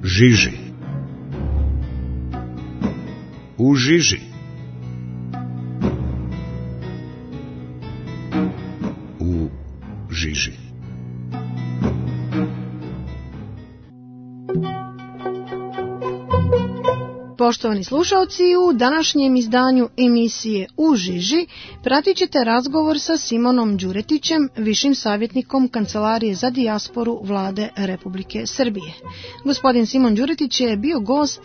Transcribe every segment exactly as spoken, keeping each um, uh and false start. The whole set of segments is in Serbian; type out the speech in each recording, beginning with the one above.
žiži. U žiži. U žiži. Poštovani slušalci, u današnjem izdanju emisije U žiži pratit ćete razgovor sa Simonom Đuretićem, višim savjetnikom Kancelarije za dijasporu Vlade Republike Srbije. Gospodin Simon Đuretić je bio gost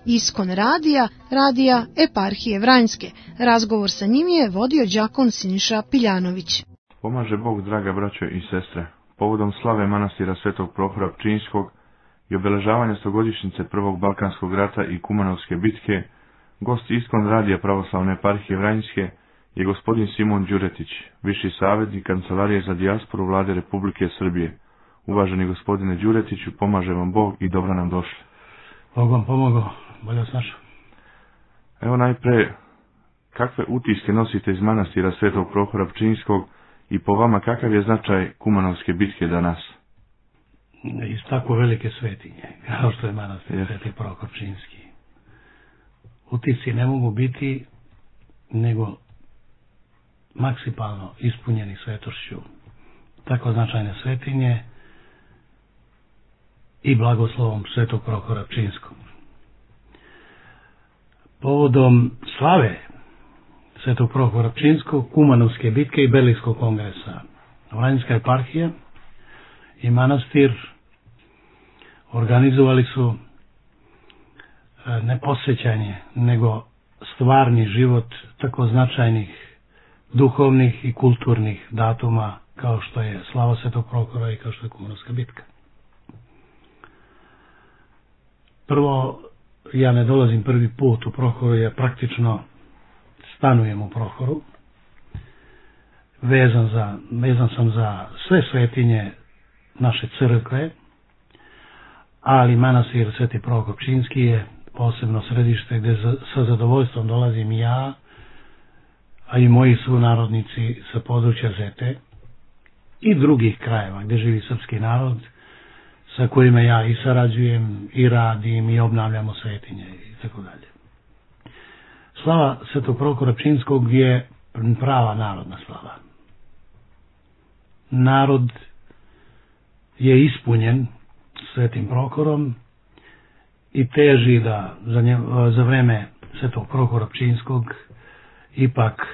Iskon radija, radija Eparhije Vranjske. Razgovor sa njim je vodio đakon Siniša Piljanović. Pomaže Bog, draga braćo i sestre, povodom slave manastira Svetog Prohora Pčinjskog i obeležavanja stogodišnjice Prvog Balkanskog rata i Kumanovske bitke, gost Iskon radija Pravoslavne eparhije Vranjske je gospodin Simon Đuretić, viši savjetnik Kancelarije za dijasporu Vlade Republike Srbije. Uvaženi gospodine Đuretiću, pomaže vam Bog i dobro nam došli. Bog vam pomogao, bolje vas našao. Evo najpre, kakve utiske nosite iz manastira Svetog Prohora Pčinjskog i po vama kakav je značaj Kumanovske bitke danas? Iz tako velike svetinje, kao što je manastir yes. Sveti Prohor Pčinjski. Utisci ne mogu biti nego maksimalno ispunjeni svetošću tako značajne svetinje i blagoslovom Svetog Prohora Pčinjskog. Povodom slave Svetog Prohora Pčinjskog, Kumanovske bitke i Berlinskog kongresa, Vranjska eparhija i manastir organizovali su ne posvećanje, nego stvarni život tako značajnih duhovnih i kulturnih datuma kao što je slava Svetog Prohora i kao što je Kumanovska bitka. Prvo, ja ne dolazim prvi put u Prohoru, ja praktično stanujem u Prohoru. Vezan, za, vezan sam za sve svetinje naše crkve, ali manastir Sveti Prohor Pčinjski je posebno središte gdje sa zadovoljstvom dolazim ja, a i moji sunarodnici sa područja Zete i drugih krajeva gdje živi srpski narod, sa kojima ja i sarađujem i radim i obnavljamo svetinje i tako dalje. Slava Svetog Prohora Pčinjskog je prava narodna slava. Narod je ispunjen Svetim Prohorom i teži da za, nje, za vreme Svetog Prohora Pčinjskog ipak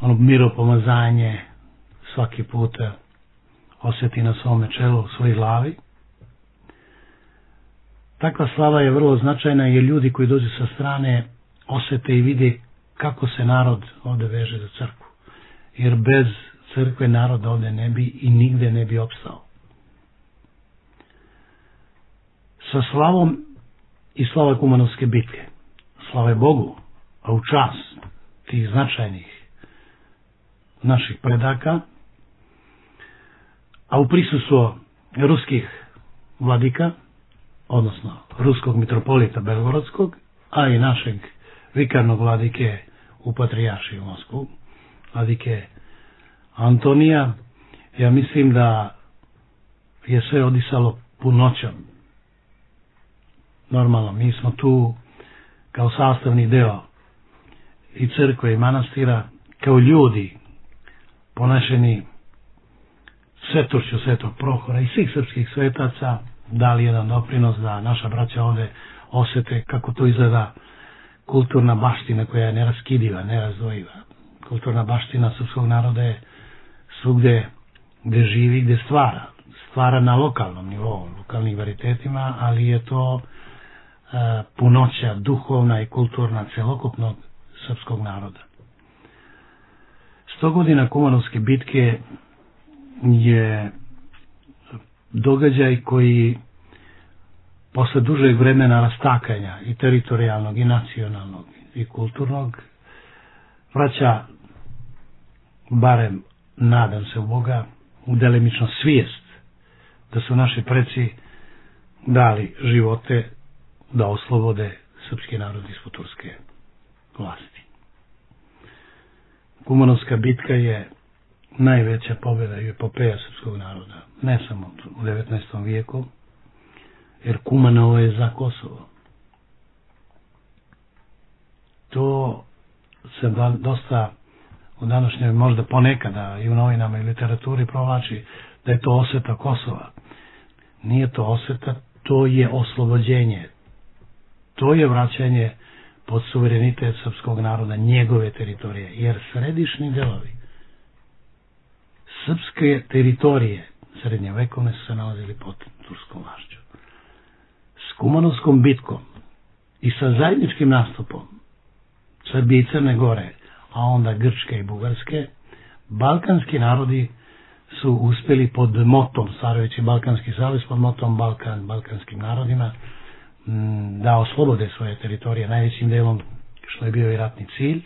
ono miropomazanje svaki puta osjeti na svome čelu, svojoj glavi. Takva slava je vrlo značajna jer ljudi koji dođu sa strane osjete i vide kako se narod ovdje veže za crkvu. Jer bez crkve narod ovdje ne bi i nigde ne bi opstao. Sa slavom i slava Kumanovske bitke, slave Bogu, a u čast tih značajnih naših predaka, a u prisustvu ruskih vladika, odnosno ruskog mitropolita Belgorodskog, a i našeg vikarnog vladike u Patrijaršiji u Moskvu, vladike Antonija, ja mislim da je sve odisalo punoćom. Normalno, mi smo tu kao sastavni deo i crkve i manastira, kao ljudi ponašeni svetošću Svetog Prohora i svih srpskih svetaca, dali jedan doprinos da naša braća ovdje osjete kako to izgleda kulturna baština koja je neraskidiva, nerazdvojiva. Kulturna baština srpskog naroda je svugdje gdje živi, gdje stvara. Stvara na lokalnom nivou, lokalnim varitetima, ali je to uh, punoća duhovna i kulturna celokupnog srpskog naroda. Sto godina Kumanovske bitke je događaj koji posle dužeg vremena rastakanja i teritorijalnog i nacionalnog i kulturnog vraća, barem nadam se u Boga, u delimično svijest da su naši preci dali živote da oslobode srpski narod ispod turske vlasti. Kumanovska bitka je najveća pobjeda i epopeja srpskog naroda, ne samo u devetnaestom vijeku, jer Kumanovo je za Kosovo. To se dosta u današnjoj, možda ponekada i u novinama i literaturi provlači da je to osveta Kosova. Nije to osveta, to je oslobođenje. To je vraćanje pod suverenitet srpskog naroda, njegove teritorije, jer središnji delovi srpske teritorije srednjovekovne su se nalazili pod turskom vlašću. S Kumanovskom bitkom i sa zajedničkim nastupom Srbije i Crne Gore, a onda Grčke i Bugarske, balkanski narodi su uspjeli pod motom, stvarajući Balkanski savez pod motom Balkan, balkanskim narodima, da oslobode svoje teritorije najvećim delom, što je bio i ratni cilj.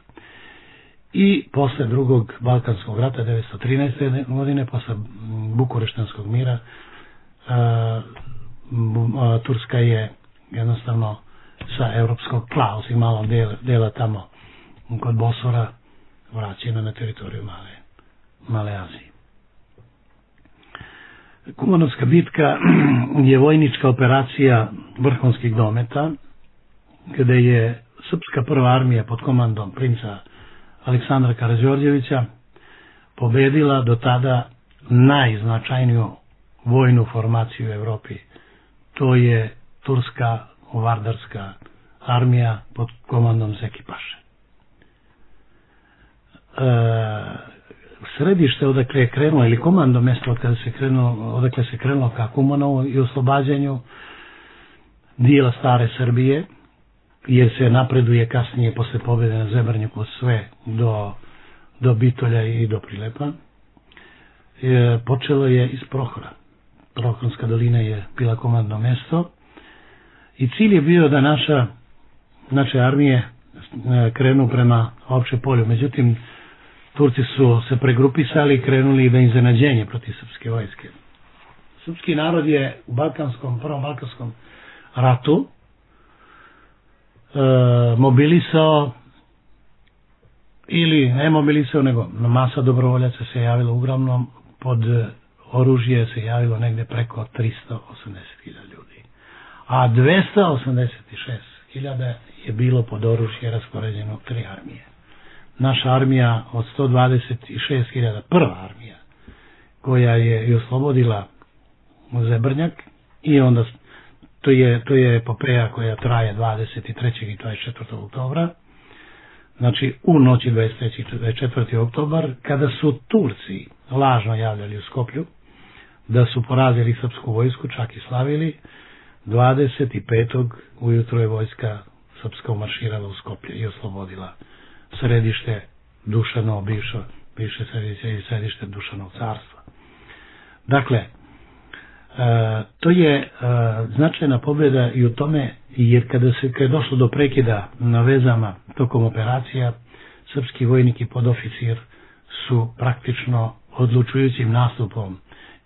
I posle drugog Balkanskog rata devetsto trinaeste. godine, posle Bukureštanskog mira, Turska je jednostavno sa evropskog tla, osim malog dela, dela tamo kod Bosora, vraćena na teritoriju Male, Male Azije. Kumanovska bitka je vojnička operacija vrhunskih dometa, kada je srpska prva armija pod komandom princa Aleksandra Karađorđevića pobedila do tada najznačajniju vojnu formaciju u Evropi. To je turska vardarska armija pod komandom Zeki Paše. E, središte odakle je krenulo, ili komando mjesto od kada se krenulo, odakle se krenulo ka Kumanovu i oslobađanju dijela stare Srbije, jer se napreduje kasnije posle pobjede na Zebrnjaku sve do, do Bitolja i do Prilepa. E, počelo je iz Prohora. Prohorska dolina je bila komandno mjesto i cilj je bio da naša, naše armije krenu prema Opće polju. Međutim, Turci su se pregrupisali i krenuli da iznenađenje protiv srpske vojske. Srpski narod je u Balkanskom, prvom Balkanskom ratu e, mobilisao, ili ne mobilisao, nego masa dobrovoljaca se javilo uglavnom, pod oružje se javilo negde preko tristo osamdeset hiljada ljudi. A dvesta osamdeset šest hiljada je bilo pod oružje raspoređeno u tri armije. Naša armija od sto dvadeset šest hiljada, prva armija koja je i oslobodila Zebrnjak, i onda to je, to je epopeja koja traje dvadeset trećeg i dvadeset četvrtog oktobra, znači u noći dvadeset trećeg i dvadeset četvrtog oktobar, kada su Turci lažno javljali u Skoplju da su porazili srpsku vojsku, čak i slavili, dvadeset petog ujutro je vojska srpska umarširala u Skoplje i oslobodila središte Dušanovo, bivše, bivše središte i središte Dušanov carstva. Dakle, e, to je e, značajna pobjeda i u tome, jer kada se kada je došlo do prekida na vezama tokom operacija, srpski vojnik i podoficir su praktično odlučujućim nastupom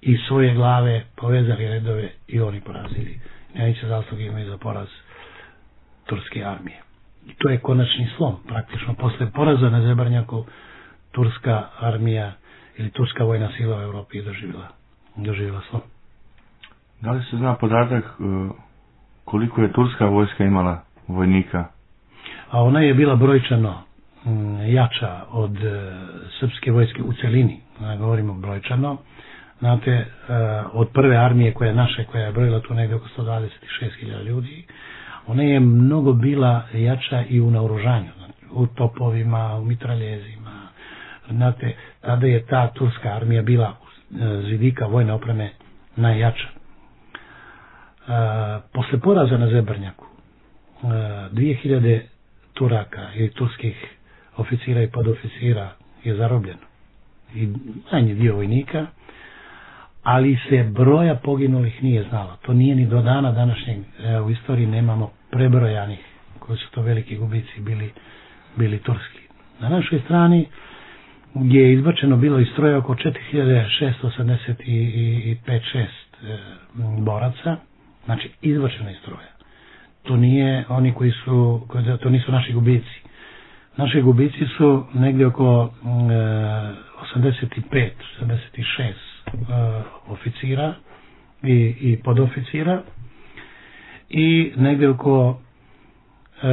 i svoje glave povezali redove i oni porazili. Najveće zasluge imaju za poraz turske armije. I to je konačni slom. Praktično posle poraza na Zebrnjaku turska armija ili turska vojna sila u Evropi je doživjela, doživjela slom. Da li se zna podatak koliko je turska vojska imala vojnika? A ona je bila brojčano jača od srpske vojske u celini. Govorimo brojčano. Znate, od prve armije koja je naše, koja je brojila tu negdje oko sto dvadeset šest hiljada ljudi, ona je mnogo bila jača i u naoružanju, u topovima, u mitraljezima. Znate, tada je ta turska armija bila z vidika vojne opreme najjača. E, posle poraza na Zebrnjaku, e, dvije hiljade Turaka i turskih oficira i podoficira je zarobljeno. I manji dio vojnika, ali se broja poginulih nije znalo. To nije ni do dana današnjeg, e, u istoriji nemamo prebrojanih, koji su to veliki gubici bili, bili turski. Na našoj strani je izbačeno bilo iz stroja oko četiri hiljade šesto osamdeset pet šest e, boraca, znači izbačeno iz stroja. To nije oni koji su, koji, to nisu naši gubici. Naši gubici su negdje oko e, osamdeset pet osamdeset šest e, oficira i, i podoficira, i negdje oko, e,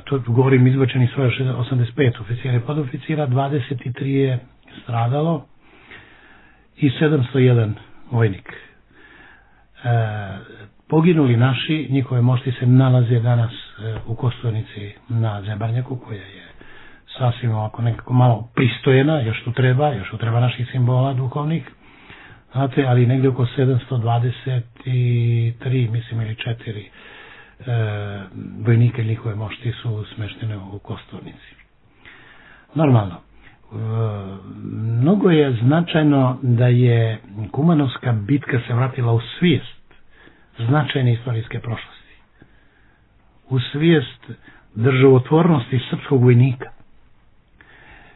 to govorim izbačeni svoje osamdeset pet oficira i podoficira, dvadeset tri je stradalo i sedamsto jedan vojnik. E, poginuli naši, njihove mošti se nalaze danas e, u Kosturnici na Zebarnjaku, koja je sasvim ovako nekako malo pristojena, još tu treba, još tu treba naših simbola duhovnih, znate, ali negdje oko sedamsto dvadeset tri, mislim, ili četiri e, vojnike njihove mošti su smeštene u Kosturnici. Normalno, e, mnogo je značajno da je Kumanovska bitka se vratila u svijest značajne istorijske prošlosti, u svijest državotvornosti srpskog vojnika.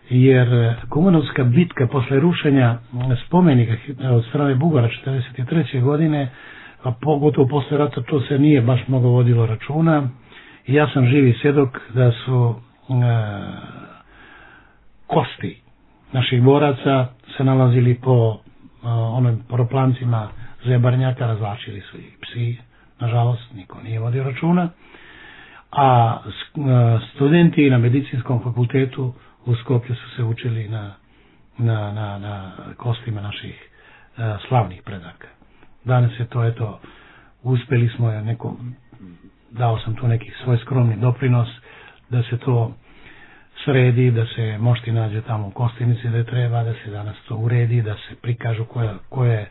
Jer Kumanovska bitka posle rušenja spomenika od strane Bugara četrdeset treće godine, a pogotovo posle rata, to se nije baš mnogo vodilo računa. I ja sam živi svjedok da su e, kosti naših boraca se nalazili po e, onim propoplancima Zebarnjaka, razvlačili su ih psi, nažalost niko nije vodio računa, a studenti na medicinskom fakultetu u Skoplju su se učili na, na, na, na kostima naših uh, slavnih predaka. Danas je to, eto, uspjeli smo, ja neko, dao sam tu neki svoj skromni doprinos da se to sredi, da se mošti nađe tamo u Kostivnici da je treba, da se danas to uredi, da se prikažu koja, koja, je,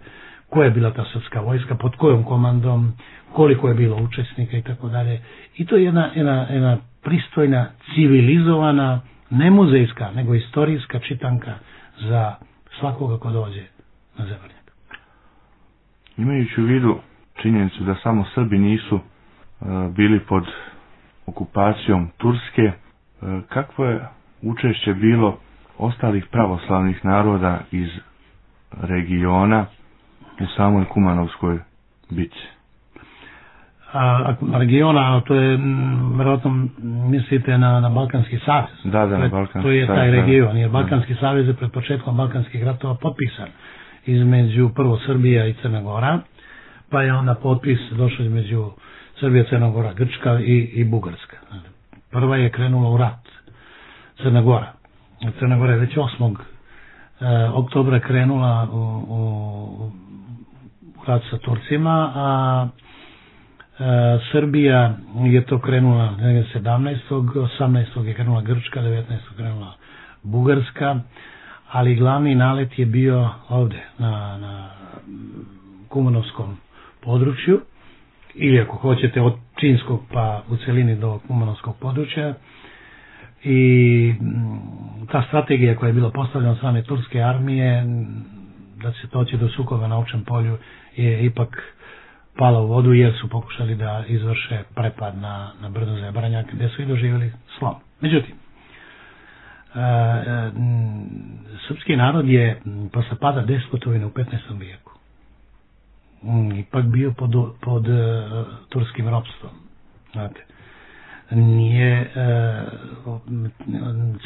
koja je bila ta srpska vojska, pod kojom komandom, koliko je bilo učesnika i tako dalje. I to je jedna, jedna, jedna pristojna, civilizovana, ne muzejska, nego istorijska čitanka za svakoga ko dođe na Zebarnjak. Imajući u vidu činjenicu da samo Srbi nisu uh, bili pod okupacijom Turske, uh, kakvo je učešće bilo ostalih pravoslavnih naroda iz regiona u samoj Kumanovskoj bitci? A, a regiona, to je, vjerojatno mislite na, na Balkanski savez. Da, da, na Balkanski savez. To je taj region, jer Balkanski savez je pred početkom Balkanskih ratova potpisan između prvo Srbija i Crna Gora, pa je onda potpis došao između Srbija, Crna Gora, Grčka i, i Bugarska. Prva je krenula u rat, Crna Gora. Crna Gora je već osmog oktobra krenula u, u, u rat sa Turcima, a E, Srbija je to krenula sedamnaestog osamnaestog je krenula Grčka, devetnaestog krenula Bugarska, ali glavni nalet je bio ovdje na, na Kumanovskom području, ili ako hoćete od Činskog pa u celini do Kumanovskog područja. I ta strategija koja je bila postavljena od strane turske armije da se doći do sukoba na Ovčjem polju je ipak pala u vodu, jer su pokušali da izvrše prepad na, na brdo Zebarnjak, gdje su i doživjeli slom. Međutim, e, e, srpski narod je posle pada Despotovine u petnaestom vijeku ipak bio pod, pod e, turskim ropstvom. Znate, nije e,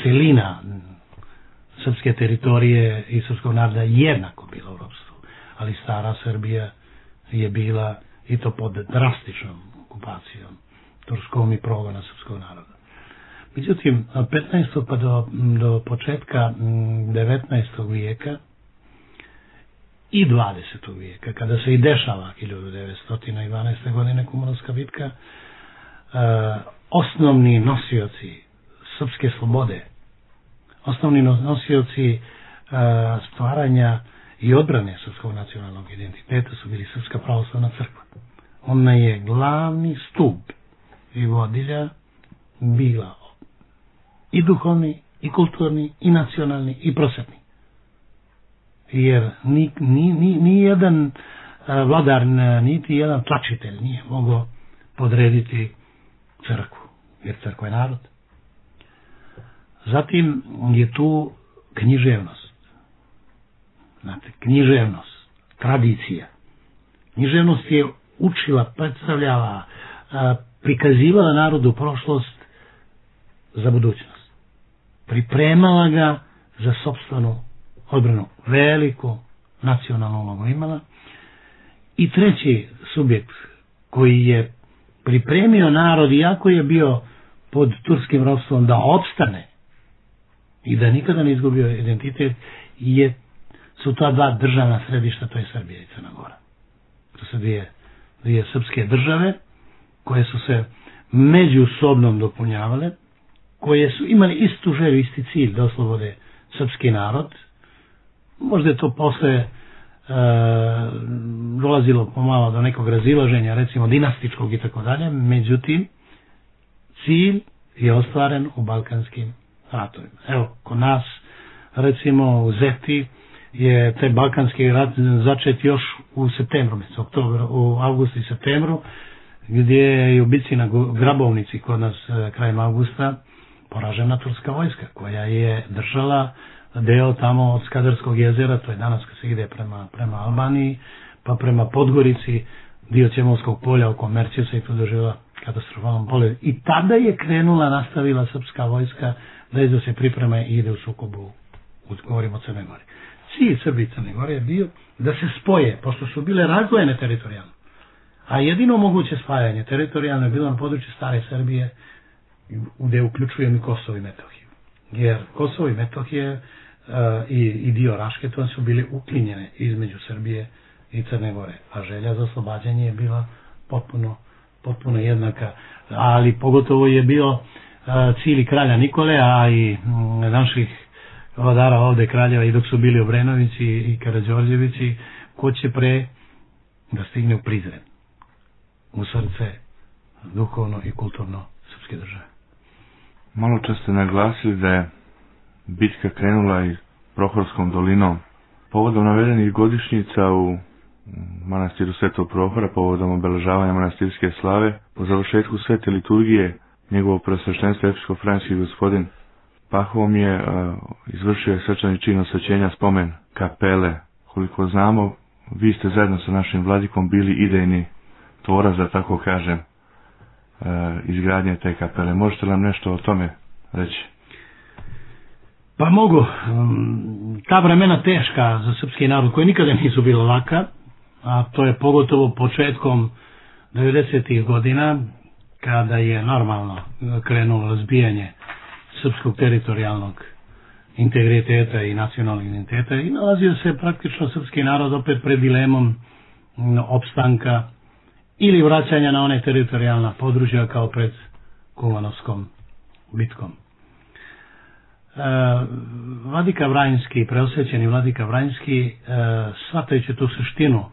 celina srpske teritorije i srpskog naroda jednako bila u ropstvu, ali stara Srbija je bila i to pod drastičnom okupacijom turskom i progona srpskog naroda. Međutim, petnaestog pa do, do početka devetnaestog vijeka i dvadesetog vijeka, kada se i dešava hiljadu devetsto dvanaeste. godine Kumanovska bitka, eh, osnovni nosioci srpske slobode, osnovni nosioci eh, stvaranja i odbrane srpskog nacionalnog identiteta su bili Srpska pravoslavna crkva. Ona je glavni stup i vodilja bila i duhovni, i kulturni, i nacionalni, i prosvetni. Jer ni, ni, ni, ni jedan vladar, niti jedan tlačitelj nije mogao podrediti crkvu, jer crkva je narod. Zatim je tu književnost. Znate, književnost, tradicija. Književnost je učila, predstavljala, prikazivala narodu prošlost za budućnost. Pripremala ga za sopstvenu odbranu. Veliku nacionalnu ulogu imala. I treći subjekt koji je pripremio narod, iako je bio pod turskim ropstvom, da opstane i da nikada ne izgubio identitet, je, su ta dva državna središta, to je Srbija i Crna Gora. To su dvije, dvije srpske države koje su se međusobno dopunjavale, koje su imali istu želju, isti cilj da oslobode srpski narod. Možda je to posle e, dolazilo pomalo do nekog razilaženja, recimo dinastičkog i tako dalje, međutim cilj je ostvaren u balkanskim ratovima. Evo, kod nas, recimo u Zeti, je taj balkanski rat začet još u septembru, oktobru, u avgustu i septembru, gdje je u bici na Grabovnici kod nas krajem avgusta poražena turska vojska, koja je držala deo tamo od Skadarskog jezera, to je danas kad se ide prema, prema Albaniji, pa prema Podgorici, dio Ćemovskog polja oko Merćevca i tu doživjela katastrofalnom poledu. I tada je krenula, nastavila srpska vojska da je da se priprema i ide u sukobu, govorimo o Crne Gore. Cilj Srbije i Crne Gore je bio da se spoje, pošto su bile razdvojene teritorijalno. A jedino moguće spajanje teritorijalno je bilo na području stare Srbije, gdje uključujem i Kosovo i Metohiju. Jer Kosovo i Metohije uh, i, i dio Raške, to su bili uklinjene između Srbije i Crne Gore. A želja za oslobađanje je bila potpuno, potpuno jednaka. Ali pogotovo je bio uh, cilj kralja Nikole, a i um, naših vladara ovde kraljeva, i dok su bili Obrenovići i Karađorđevići, ko će pre da stigne u Prizren, u srce duhovno i kulturno srpske države. Malo čas ste naglasili da je bitka krenula i Prohorskom dolinom. Povodom navedenih godišnjica u manastiru Svetog Prohora, povodom obeležavanja manastirske slave, po završetku svete liturgije, njegovo preosveštenstvo epsko-franjski gospodin Pahom je uh, izvršio svečani čin osvećenja spomen kapele. Koliko znamo, vi ste zajedno sa našim vladikom bili idejni tvorac, da tako kažem, uh, izgradnje te kapele. Možete nam nešto o tome reći? Pa mogu. Ta vremena teška za srpski narod, koji nikada nisu bila laka, a to je pogotovo početkom devedesetih godina, kada je normalno krenulo razbijanje srpskog teritorijalnog integriteta i nacionalnog identiteta, i nalazio se praktično srpski narod opet pred dilemom opstanka ili vraćanja na one teritorijalna područja kao pred Kumanovskom bitkom. E, Vladika Vranjski, preosvećeni Vladika Vranjski, e, shvatajući tu suštinu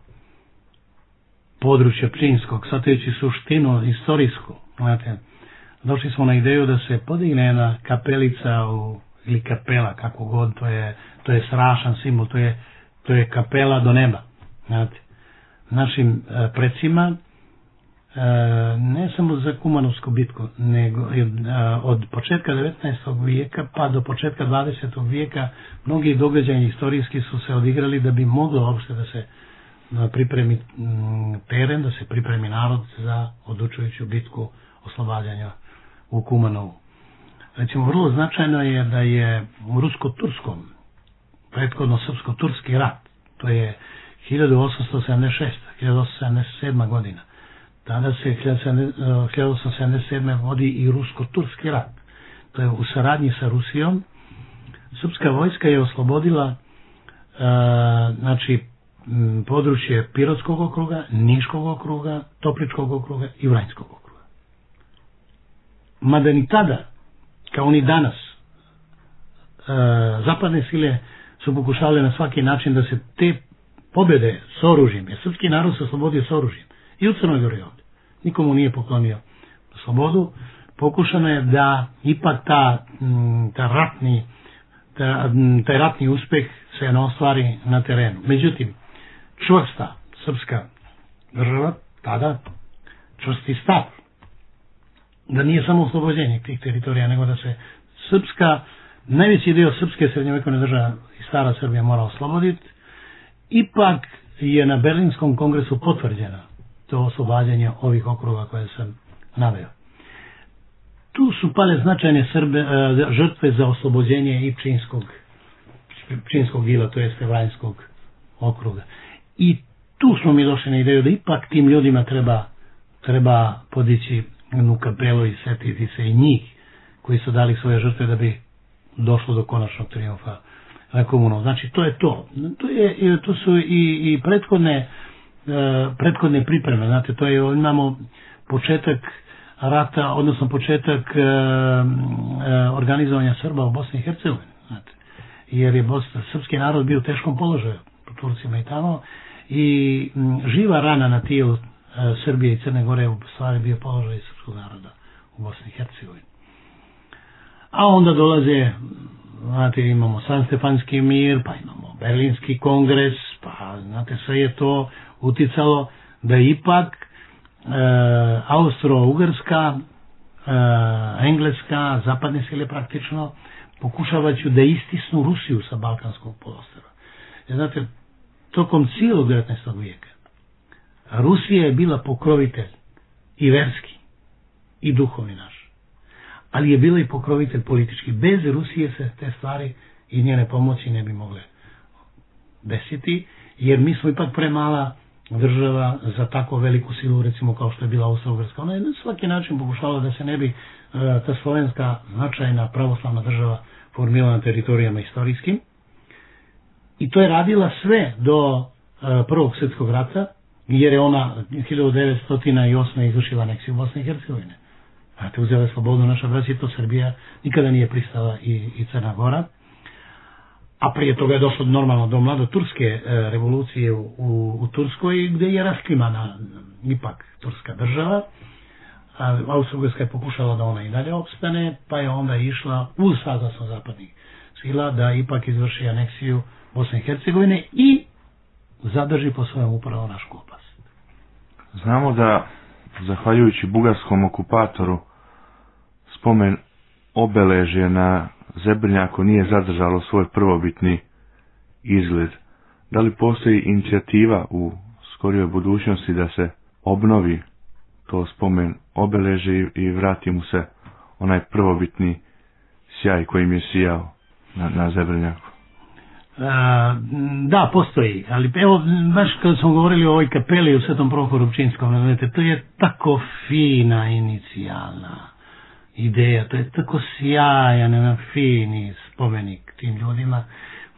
područja Pčinjskog, shvatajući suštinu istorijsku, znate, došli smo na ideju da se podigne jedna kapelica u, ili kapela, kako god, to je, to je strašan simbol, to je, to je kapela do neba. Znate, našim e, precima, e, ne samo za Kumanovsku bitku, nego e, od početka devetnaestog vijeka pa do početka dvadesetog vijeka mnogi događaji istorijski su se odigrali da bi moglo uopšte da se pripremi m, teren, da se pripremi narod za odlučujuću bitku oslobađanja u Kumanovu. Recimo, vrlo značajno je da je u rusko-turskom, prethodno srpsko-turski rat, to je hiljadu osamsto sedamdeset šesta do hiljadu osamsto sedamdeset sedma godina. Tada se hiljadu osamsto sedamdeset sedme vodi i rusko-turski rat. To je u saradnji sa Rusijom. Srpska vojska je oslobodila uh, znači područje Pirotskog okruga, Niškog okruga, Topličkog okruga i Vranjskog okruga. Mada ni tada, kao ni danas, e, zapadne sile su pokušale na svaki način da se te pobjede s oružjem, jer srpski narod se oslobodio s oružjem, i u Crnoj Gori ovdje, nikomu nije poklonio slobodu, pokušano je da ipak ta, ta ratni, ta, taj ratni uspeh se ne ostvari na terenu. Međutim, čvrsta srpska država, tada čvrsti stav, da nije samo oslobođenje tih teritorija, nego da se srpska, najveći dio srpske srednjovekovne države i stara Srbija mora osloboditi, ipak je na Berlinskom kongresu potvrđena to oslobađanje ovih okruga koje sam naveo. Tu su pale značajne Srbe, žrtve za oslobođenje i Pčinjskog, Pčinjskog ila, to jest Vranjskog okruga. I tu smo mi došli na ideju da ipak tim ljudima treba treba podići jednu kapelu i setiti se i njih koji su dali svoje žrtve da bi došlo do konačnog trijumfa komunom. Znači to je to. To, je, to su i, i prethodne, prethodne pripreme. Znate, to je, imamo početak rata, odnosno početak e, e, organizovanja Srba u Bosni i Hercegovini. Znate, jer je Bosna, srpski narod bio u teškom položaju po Turcima i tamo i m, živa rana na tijelu e, Srbije i Crne Gore u stvari bio položaj srpskog naroda u Bosni i Hercegovini. A onda dolaze, znate, imamo San Stefanski mir, pa imamo Berlinski kongres, pa znate, sve je to uticalo da ipak e, Austro-Ugrska, e, Engleska, zapadne sile praktično pokušavajući da istisnu Rusiju sa Balkanskog poluostrva. Znate, tokom cijelog devetnaestog vijeka Rusija je bila pokrovitelj i verski i duhovni naš, ali je bila i pokrovitelj politički. Bez Rusije se te stvari i njene pomoći ne bi mogle desiti, jer mi smo ipak premala država za tako veliku silu, recimo kao što je bila Austro-Ugrska. Ona je na svaki način pokušala da se ne bi uh, ta slovenska značajna pravoslavna država formirala na teritorijama istorijskim. I to je radila sve do uh, Prvog svjetskog rata, jer je ona hiljadu devetsto osme izvršila aneksiju Bosne i Hercegovine. Znate, uzela je slobodu naša braća i to Srbija nikada nije pristala i, i Crna Gora. A prije toga je došlo normalno do mladoturske e, revolucije u, u, u Turskoj, gdje je rasklimana ipak turska država. Austro-Ugrska je pokušala da ona i dalje opstane, pa je onda išla uz saglasno zapadnih sila da ipak izvrši aneksiju Bosne i Hercegovine i zadrži po svojem upravo našu oblast. Znamo da, zahvaljujući bugarskom okupatoru, spomen obeležje na Zebrnjaku nije zadržalo svoj prvobitni izgled. Da li postoji inicijativa u skorijoj budućnosti da se obnovi to spomen obeležje i vrati mu se onaj prvobitni sjaj kojim je sijao na, na Zebrnjaku? A, da, postoji, ali evo, baš kad smo govorili o ovoj kapeli u Svetom Prohoru Pčinjskom, znate, to je tako fina inicijalna ideja, to je tako sjajan, jedan fini spomenik tim ljudima,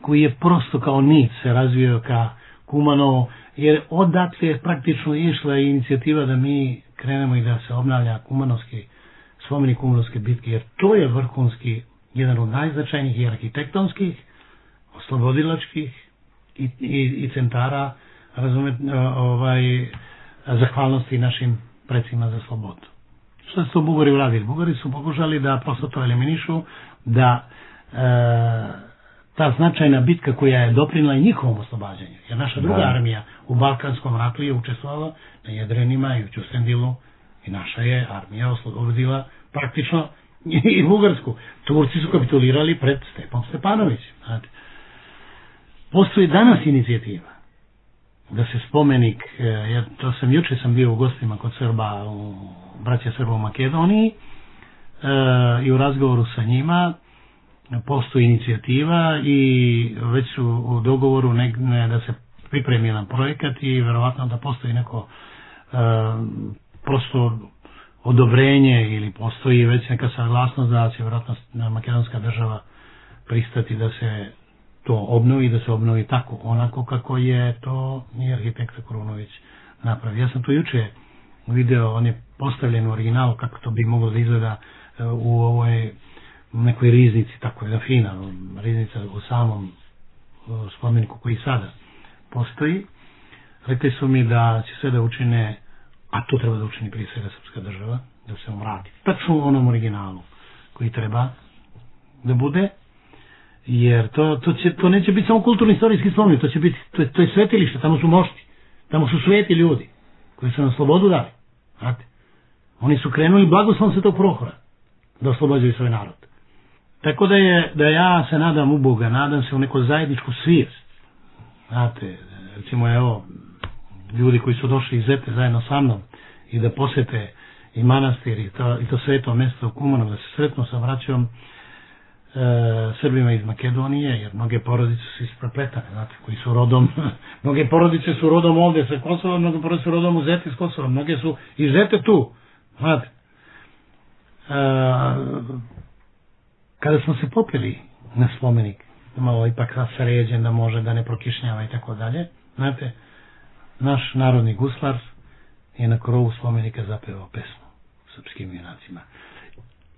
koji je prosto kao nit se razvio ka Kumanovu, jer odatle je praktično išla inicijativa da mi krenemo i da se obnavlja Kumanovski spomenik Kumanovske bitke, jer to je vrhunski, jedan od najznačajnijih i arhitektonskih, oslobodilačkih i, i, i centara, razumete, ovaj, zahvalnosti našim predsima za slobodu. Što su to Bugari uradili? Bugari su pokušali da prosto to eliminišu, da e, ta značajna bitka koja je doprinila i njihovom oslobađanju, jer naša druga da. armija u Balkanskom ratu je učestvovala na Jedrenima i u Ćustendilu i naša je armija oslobodila praktično i Bugarsku. Turci su kapitulirali pred Stepom Stepanovićem. Znate. Postoji danas inicijativa da se spomenik, jer to sam juče sam bio u gostima kod Srba, u braća Srba u Makedoniji e, i u razgovoru sa njima postoji inicijativa i već su u dogovoru ne, ne, da se pripremi jedan projekat i verovatno da postoji neko e, prosto odobrenje ili postoji već neka saglasnost da će vjerojatno makedonska država pristati da se to obnovi, da se obnovi tako, onako kako je to i arhitekta Kurunović napravio. Ja sam to juče video, on je postavljen u originalu kako to bi moglo da izgleda u ovoj nekoj riznici, tako je da fina riznica u samom spomeniku koji sada postoji. Rekli su mi da će sve da učine, a to treba da učini prije svega srpska država, da se vrati tačno u onom originalu koji treba da bude, jer to, to, će, to neće biti samo kulturno-istorijski spomenik, to će biti, to je, to je svetilište, tamo su mošti, tamo su sveti ljudi koji su nam slobodu dali. Znate? Oni su krenuli blagoslovom Svetog Prohora da oslobađaju svoj narod. Tako da je, da ja se nadam u Boga, nadam se u neku zajedničku svijest. Znate, recimo evo, ljudi koji su došli iz Zete zajedno sa mnom i da posete i manastir i to, i to sveto mjesto u Kumanu, da se sretnu sa braćom, Srbima iz Makedonije, jer mnoge porodice su isprepletane, znate, koji su rodom, mnoge porodice su rodom ovde sa Kosova, mnoge porodice su rodom u Zeti s Kosova, mnoge su i Zete tu, znate. E, kada smo se popili na spomenik, malo ipak sređen da može da ne prokišnjava i tako dalje, znate, naš narodni guslar je na krovu spomenika zapevao pesmu srpskim junacima.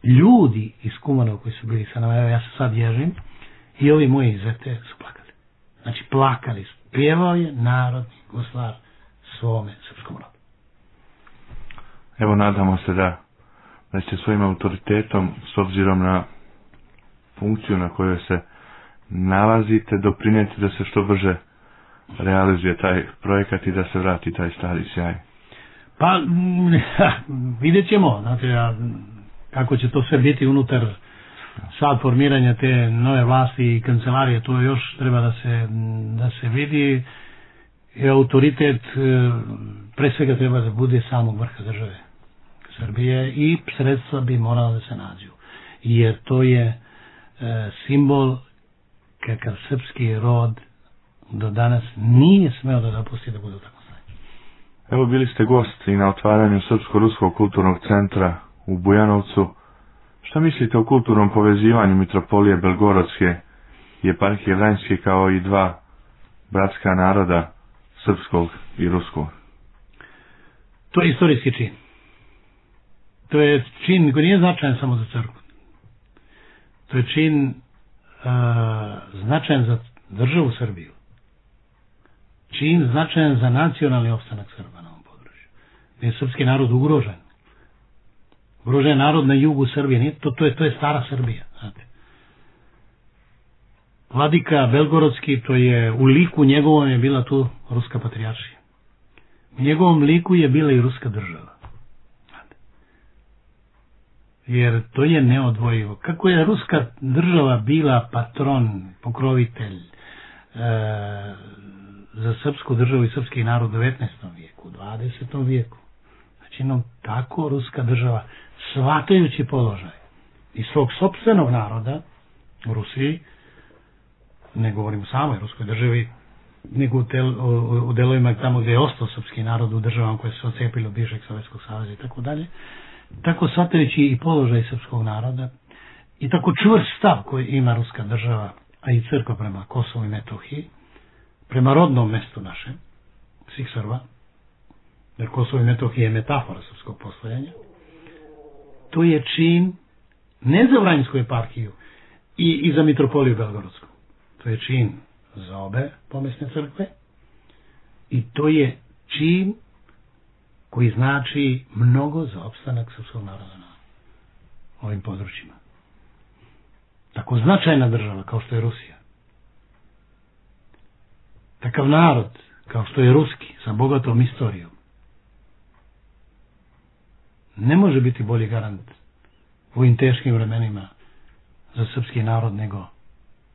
Ljudi iz Kumanova koji su bili sa nama, evo ja se sad ježim, i ovi moji iz Zete su plakali. Znači plakali su. Pjevao je narodni guslar svome srpskom rodu. Evo nadamo se da, da će svojim autoritetom, s obzirom na funkciju na kojoj se nalazite, doprinijeti da se što brže realizuje taj projekat i da se vrati taj stari sjaj. Pa, vidjet ćemo, znate, ja, kako će to sve biti unutar sad formiranja te nove vlasti i kancelarije, to još treba da se, da se vidi. I autoritet pre svega treba da bude samog vrha države Srbije i sredstva bi morala da se nađu. Jer to je e, simbol kakav srpski rod do danas nije smeo da dopusti da bude tako stanje. Evo bili ste gost i na otvaranju Srpsko-Ruskog kulturnog centra u Bujanovcu. Šta mislite o kulturnom povezivanju Mitropolije Belgorodske i Eparhije Vranjske kao i dva bratska naroda, srpskog i ruskog? To je istorijski čin. To je čin koji nije značajan samo za crkvu. To je čin uh, značajan za državu Srbiju. Čin značajan za nacionalni opstanak Srba na ovom području. Gdje je srpski narod ugrožen. Ugrožen narod na jugu Srbije. Nije, to, to, je, to je stara Srbija. Znate. Vladika Belgorodski, to je u liku njegovom je bila tu ruska patrijaršija. U njegovom liku je bila i ruska država. Znate. Jer to je neodvojivo. Kako je ruska država bila patron, pokrovitelj e, za srpsku državu i srpski narod u devetnaestom vijeku, u dvadesetom vijeku. Znači, no, tako ruska država, shvatajući položaj i svog sopstvenog naroda u Rusiji, ne govorim o samoj ruskoj državi, nego u, tel, u, u delovima tamo gdje je ostao srpski narod u državama koje su ocepili od bivšeg Sovjetskog saveza i tako dalje, tako shvatajući i položaj srpskog naroda i tako čvrst stav koji ima ruska država, a i crkva prema Kosovu i Metohiji, prema rodnom mestu našem, svih Srba, jer Kosovo i Metohija je metafora srpskog postojanja, to je čin ne za Vranjsku eparhiju i, i za Mitropoliju Belgorodsku. To je čin za obe pomesne crkve i to je čin koji znači mnogo za opstanak srpskog naroda na ovim područjima. Tako značajna država kao što je Rusija. Takav narod kao što je ruski sa bogatom istorijom ne može biti bolji garant u ovim teškim vremenima za srpski narod nego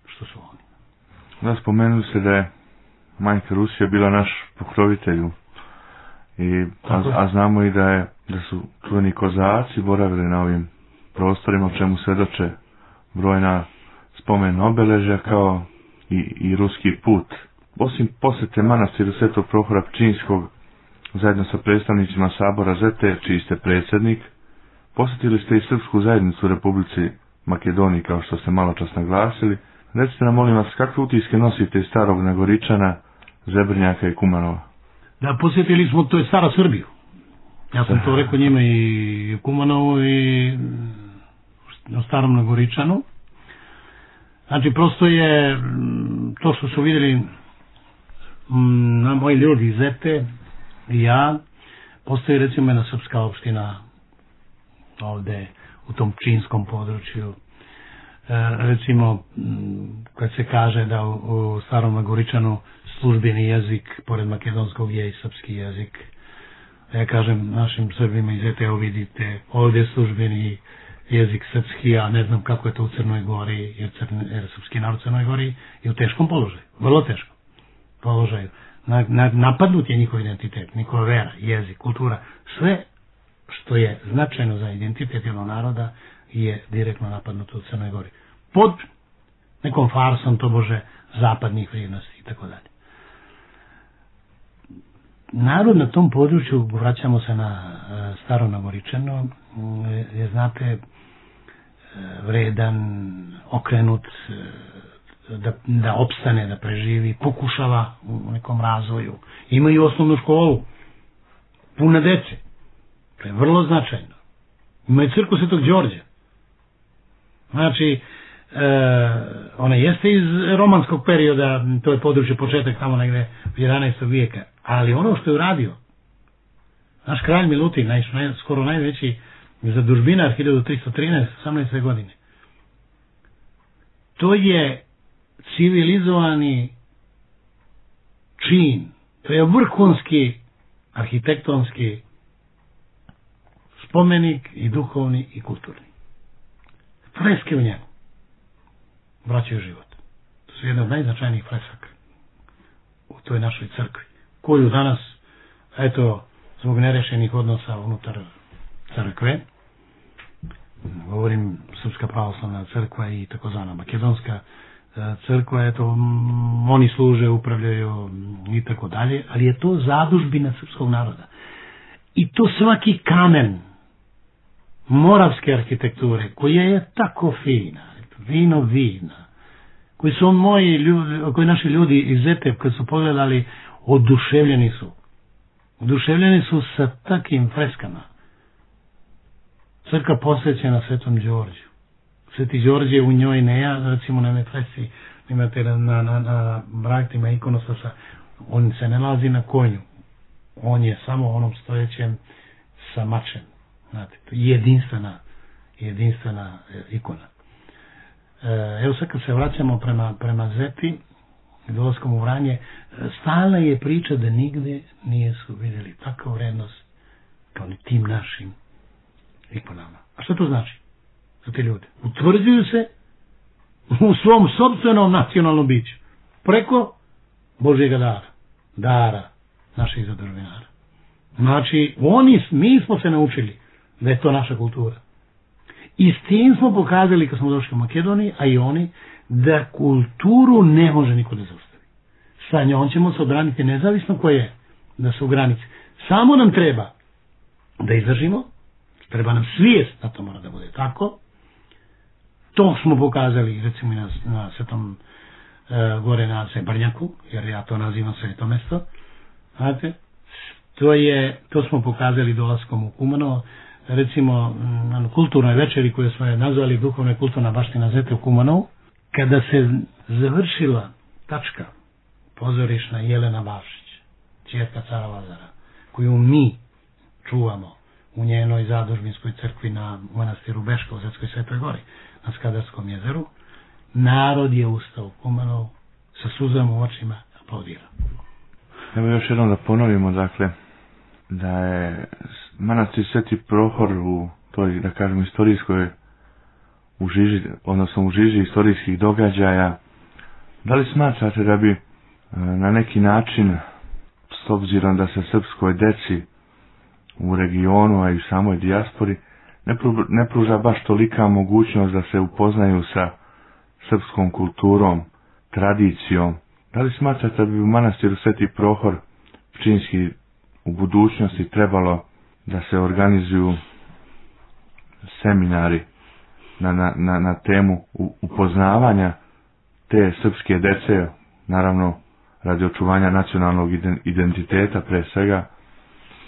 što su oni. Da, spomenuli se da je majka Rusija bila naš pokrovitelj i a, a znamo i da je da su čuveni kozaci boravili na ovim prostorima, o čemu svedoče brojna spomen obeležja kao i, i ruski put. Osim posete manastiru Svetog Prohora Pčinjskog zajedno sa predstavnicima Sabora Zete, čiji ste predsjednik, posjetili ste i srpsku zajednicu u Republici Makedoniji, kao što ste malo čas naglasili. Recite nam, molim vas, kakve utiske nosite iz Starog Nagoričana, Zebrnjaka i Kumanova? Da, posjetili smo, to je stara Srbiju. Ja sam to rekao njima i u Kumanovu i na Starom Nagoričanu. Znači, prosto je to što su vidjeli na moji ljudi iz Zete i ja, postoji recimo jedna srpska opština ovde u tom Pčinjskom području. E, recimo, kad se kaže da u, u Starom Nagoričanu službeni jezik, pored makedonskog, je i srpski jezik. Ja kažem našim Srbima iz Zete, evo vidite, ovdje je službeni jezik srpski, a ne znam kako je to u Crnoj Gori, jer, crne, jer srpski narod u Crnoj Gori je u teškom položaju, vrlo teškom položaju. Na, na, napadnut je njihov identitet, njihova vera, jezik, kultura, sve što je značajno za identitet jednog naroda je direktno napadnuto u Crnoj Gori. pod nekom farsom tobože zapadnih vrijednosti i tako dalje. Narod na tom području, vraćamo se na staro Nagoričeno, je, znate, vredan, okrenut, da, da opstane, da preživi, pokušava u nekom razvoju. Imaju osnovnu školu, puna dece. To je vrlo značajno. Imaju crkvu Svetog Đorđa. Znači, e, ona jeste iz romanskog perioda, to je područje početak tamo negde jedanaestog vijeka, ali ono što je uradio, naš kralj Milutin, naj, naj, skoro najveći zadužbinar hiljadu tristo trinaeste. osamnaeste. godine, to je civilizovani čin, to je vrhunski arhitektonski spomenik i duhovni i kulturni. Freske u njemu vraćaju život. To su jedna od najznačajnijih fresaka u toj našoj crkvi, koju danas, eto, zbog nerešenih odnosa unutar crkve, govorim Srpska pravoslavna crkva i takozvana Makedonska crkva, eto, oni služe, upravljaju i tako dalje, ali je to zadužbina srpskog naroda. I to svaki kamen moravske arhitekture, koja je tako fina, vino vina, koji su moji ljudi, koji naši ljudi iz Zetep, kad su pogledali, oduševljeni su. Oduševljeni su sa takim freskama. Crkva posvećena Svetom Đorđu. Sveti Đorđe u njoj ne ja, recimo na fresci, imate na, na, na, na braktima ikonostasa, on se ne nalazi na konju. On je samo onom stojećem sa mačem. Znate, to je jedinstvena, jedinstvena ikona. E, evo sad kad se vraćamo prema, prema Zepi, dolaskom u Vranje, stalna je priča da nigde nije su vidjeli takvu vrednost kao ni tim našim ikonama. A što to znači za te ljude? Utvrđuju se u svom sopstvenom nacionalnom biću preko Božjega dara, dara naših zadužbinara. Znači, oni, mi smo se naučili da je to naša kultura. I s tim smo pokazali kad smo došli u Makedoniji, a i oni, da kulturu ne može niko da zaustavi. Sa njom ćemo se odbraniti nezavisno koje je, da su u granici. Samo nam treba da izdržimo, treba nam svijest da to mora da bude tako. To smo pokazali recimo na, na svetom e, gore na Sebrnjaku, jer ja to nazivam sveto mesto. Znate, to je, to smo pokazali dolaskom u Kumanovo, recimo na kulturnoj večeri koju smo je nazvali duhovna i kulturna baština Zete u Kumanovu, kada se završila tačka pozorišna Jelena Bavšić, ćerka cara Lazara, koju mi čuvamo u njenoj zadužbinskoj crkvi na manastiru Beška u Zetskoj Svetoj Gori, na Skadarskom jezeru, narod je ustao u Kumanovu sa suzama u očima, aplaudirao. Evo još jednom da ponovimo, dakle, da je manastir Sveti Prohor u toj, da kažem, istorijskoj u žiži, odnosno u žiži istorijskih događaja. Da li smatrate da bi na neki način, s obzirom da se srpskoj deci u regionu, a i u samoj dijaspori, ne, pru, ne pruža baš tolika mogućnost da se upoznaju sa srpskom kulturom, tradicijom, da li smatrate da bi u manastiru Sveti Prohor Pčinjski u budućnosti trebalo da se organizuju seminari na, na, na, na temu upoznavanja te srpske dece, naravno radi očuvanja nacionalnog identiteta pre svega,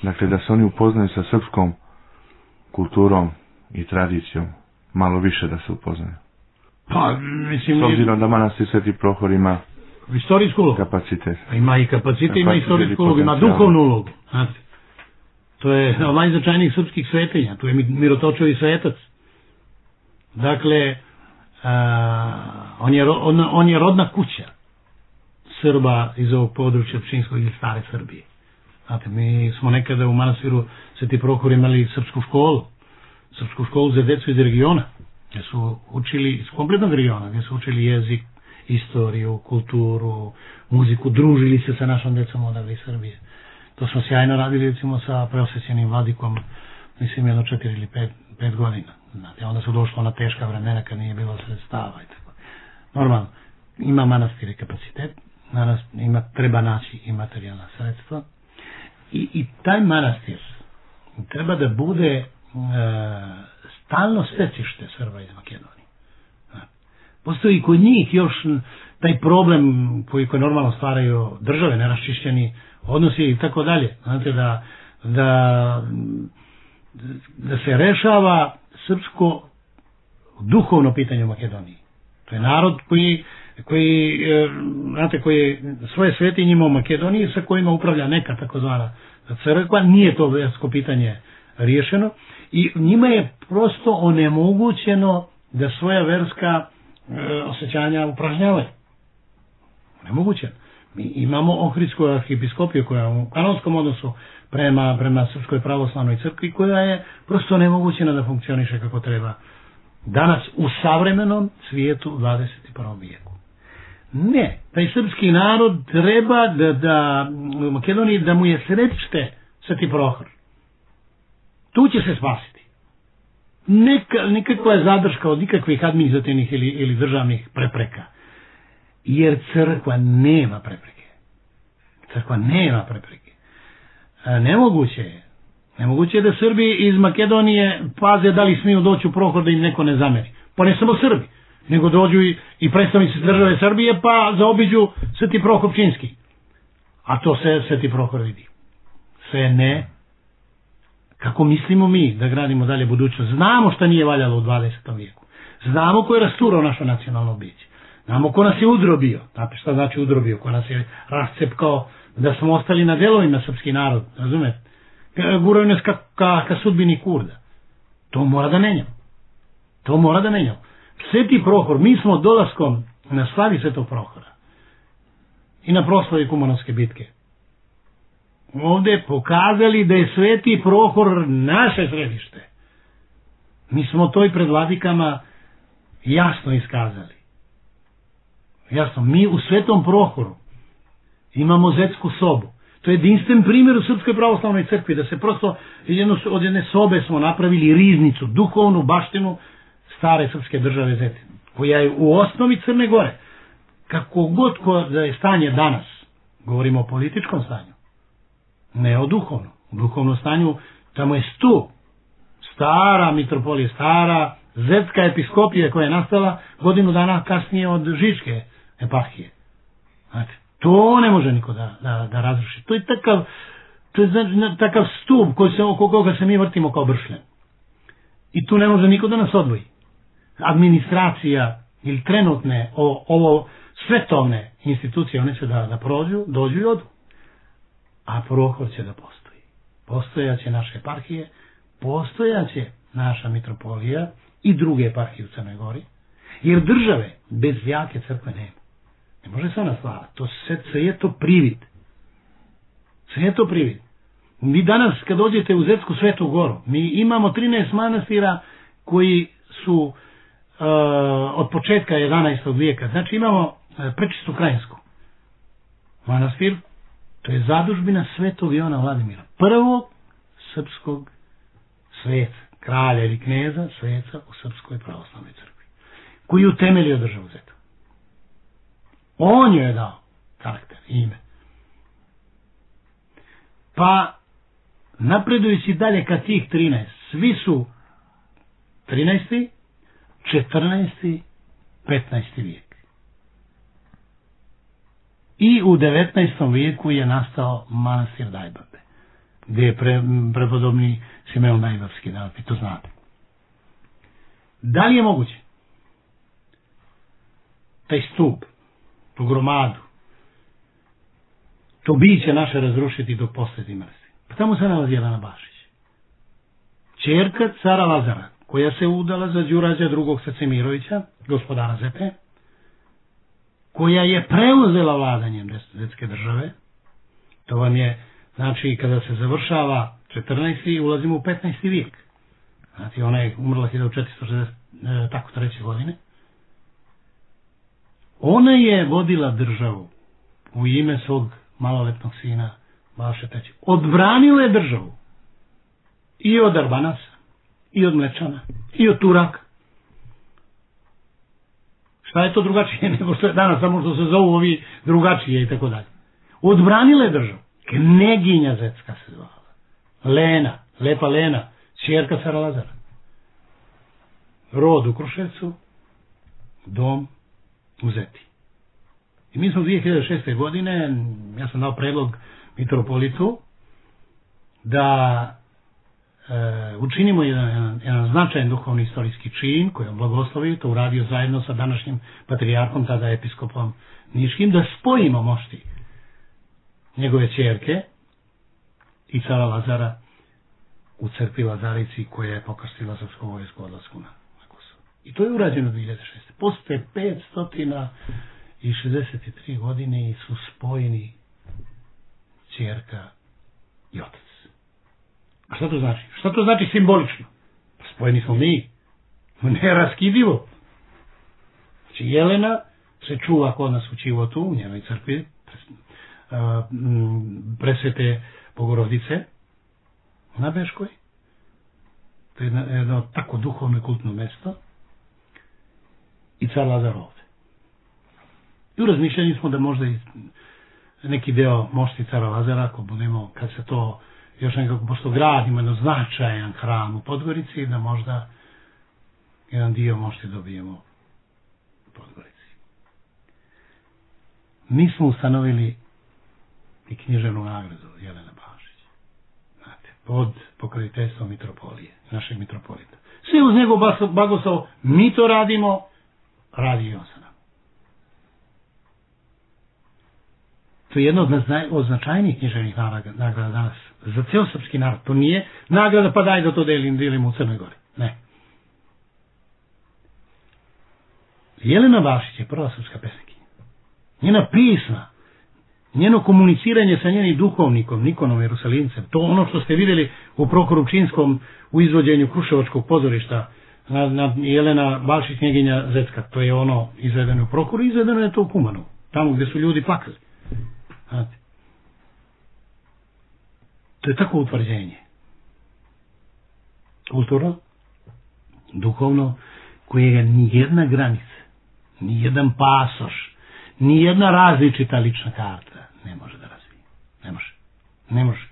dakle da se oni upoznaju sa srpskom kulturom i tradicijom, malo više da se upoznaju. Pa, mislim, s obzirom da manastir Sveti Prohor ima istorijsku ulogu. Kapacitet. Ima i kapacitet, ima istorijsku ulogu, ima duhovnu ulogu. Znate, to je od najznačajnijih srpskih svetinja, tu je Mirotočevi svetac. Dakle, a, on, je, on, on je rodna kuća Srba iz ovog područja Pčinjskog ili stare Srbije. Znate, mi smo nekada u manastiru Sveti Prohor imali srpsku školu, srpsku školu za decu iz regiona, gdje su učili, iz kompletnog regiona, gdje su učili jezik, istoriju, kulturu, muziku, družili se sa našom decom odavde iz Srbije. To smo sjajno radili recimo sa preosvećenim vladikom, mislim jedno četiri ili pet, pet godina. Znate, onda su došlo na teška vremena kad nije bilo sredstava i tako. Normalno, ima manastir i kapacitet, ima, treba naći i materijalna sredstva i, i taj manastir treba da bude e, stalno stecište Srba iz Makedonije. Postoji kod njih još taj problem koji, koji normalno stvaraju države, neraščišćeni odnosi i tako dalje. Znate, da, da, da se rešava srpsko duhovno pitanje u Makedoniji. To je narod koji, koji, znate, koji svoje svetinje ima u Makedoniji sa kojima upravlja neka takozvana crkva, nije to versko pitanje riješeno i njima je prosto onemogućeno da svoja verska e, osjećanja upražnjavaju. Nemogućeno. Mi imamo Ohridsku arhipiskopiju koja je u kanonskom odnosu prema, prema Srpskoj pravoslavnoj crkvi koja je prosto nemogućena da funkcioniše kako treba danas u savremenom svijetu u dvadeset prvom vijeku. Ne, taj srpski narod treba da, da u Makedoniji da mu je središte Sveti Prohor. Tu će se spasiti. Neka, nikakva je zadrška od nikakvih administrativnih ili, ili državnih prepreka. Jer crkva nema prepreke. Crkva nema prepreke. A nemoguće je. Nemoguće je da Srbi iz Makedonije paze da li smiju doći u Prohor da im neko ne zameri. Pa ne samo Srbi, nego dođu i, i predstavnici države Srbije pa zaobiđu Sveti Prohor Pčinjski. A to se Sveti Prohor vidi. Sve ne. Kako mislimo mi da gradimo dalje budućnost? Znamo šta nije valjalo u dvadesetom vijeku. Znamo ko je rasturao naše nacionalno biće. Znamo ko nas je udrobio. Znate šta znači udrobio? Ko nas je rascepkao da smo ostali na delovima srpski narod. Razumete? Guraju nas ka, ka, ka sudbini Kurda. To mora da menjamo. To mora da menjamo. Sveti Prohor, mi smo dolaskom na slavi Svetog Prohora i na proslavi Kumanovske bitke ovdje pokazali da je Sveti Prohor naše središte. Mi smo to i pred vladikama jasno iskazali. Jasno, mi u Svetom Prohoru imamo zetsku sobu. To je jedinstven primjer u Srpskoj pravoslavnoj crkvi, da se prosto jedno, od jedne sobe smo napravili riznicu, duhovnu baštinu stare srpske države Zetin, koja je u osnovi Crne Gore. Kako god ko da je stanje danas, govorimo o političkom stanju, ne o duhovnom. U duhovnom stanju tamo je stup, stara mitropolija, stara zetska episkopija koja je nastala godinu dana kasnije od Žičke eparhije. Znate, to ne može niko da, da, da razruši. To je takav, to je znači, takav stup koji se, oko koga se mi vrtimo kao bršljen. I tu ne može niko da nas odvoji. Administracija ili trenutne o, ovo svetovne institucije, one će da, da prođu, dođu i odu. A Prohor će da postoji. Postojaće naše eparhije, postojaće naša mitropolija i druge eparhije u Crnoj Gori, jer države bez jake crkve nema. Ne može se ona stvarati. To sve, sve je to privid. Sve je to privid. Vi danas kad dođete u Zetsku Svetu Goru, mi imamo trinaest manastira koji su uh, od početka jedanaestog vijeka. Znači imamo uh, Prečistu Krajinsku manastir, to je zadužbina Svetog Ivana Vladimira, prvog srpskog sveca, kralja ili kneza, sveca u Srpskoj pravoslavnoj crkvi, koji je utemeljio državu Zetu. On joj je dao karakter, ime. Pa, napredujući dalje ka tih trinaest, svi su trinaesti, četrnaesti, petnaesti vijek. I u devetnaestom vijeku je nastao manastir Dajbabe, gdje je pre, prepodobni Simeon Najbavski, da vi to znate. Da li je moguće taj stup, tu gromadu, to biće naše razrušiti dok posjeti manastir? Pa tamo se nalazi Jelena Bašić, ćerka cara Lazara, koja se udala za Đurađa drugog Sacemirovića, gospodara Zete, koja je preuzela vladanjem zetske države. To vam je, znači, kada se završava četrnaesti ulazimo u petnaesti vijek. Znači, ona je umrla hiljadu četiristo šezdeset treće godine. Ona je vodila državu u ime svog maloletnog sina Balše trećeg. Odbranila je državu i od Arbanasa, i od Mlečana, i od Turaka. Šta je to drugačije nego što je danas, samo što se zovu ovi drugačije i tako dalje. Odbranila je državu. Kneginja Zetska se zvala. Lena, lepa Lena, ćerka cara Lazara. Rod u Kruševcu, dom u Zeti. I mi smo dvije hiljade šeste. godine, ja sam dao predlog mitropolitu da e, učinimo jedan, jedan, jedan značajan duhovni istorijski čin koji je blagoslovio, to uradio zajedno sa današnjim patrijarhom, tada episkopom Niškim, da spojimo mošti njegove ćerke i cara Lazara u crkvi Lazarici koja je pokrstila srpsku vojsku odlasku na Kosovo. I to je urađeno dvije hiljade šeste. Posle petsto šezdeset tri godine su spojeni ćerka i otac. A šta to znači? Šta to znači simbolično? Spojeni smo mi. Neraskidivo. Znači Jelena se čuva kod nas u Čivotu, u njenoj crkvi, Presvete Bogorodice na Beškoj. To je jedno tako duhovno i kultno mesto. I car Lazar ovde. I u razmišljanju smo da možda i neki deo mošti cara Lazara, ako budemo, kad se to još nekako, pošto gradimo jedno značajan hram u Podgorici, da možda jedan dio mošti dobijemo u Podgorici. Mi smo ustanovili i književnu nagradu Jelena Bašić. Znate, pod pokroviteljstvom mitropolije, našeg mitropolita. Sve uz njegov blagoslov, mi to radimo, radi i on sa nama. To je jedna od, od značajnijih književnih nagrada danas za ceo srpski narod. To nije nagrada pa daj da to delim, delim u Crnoj Gori. Ne. Jelena Bašić je prva srpska pesnikinja. Njena pisma, njeno komuniciranje sa njenim duhovnikom, Nikonom Jerusalimcem, to ono što ste vidjeli u Prokorupčinskom u izvođenju Kruševačkog pozorišta na, na Jelena Bašić knjeginja Zetska, to je ono izvedeno u Prokoru, izvedeno je to u Kumanu, tamo gdje su ljudi plakali. Znate. To je tako utvrđenje. Kulturno, duhovno, kojega ni jedna granica, ni jedan pasoš, ni jedna različita lična karta ne može da razvije. Ne može. Ne može.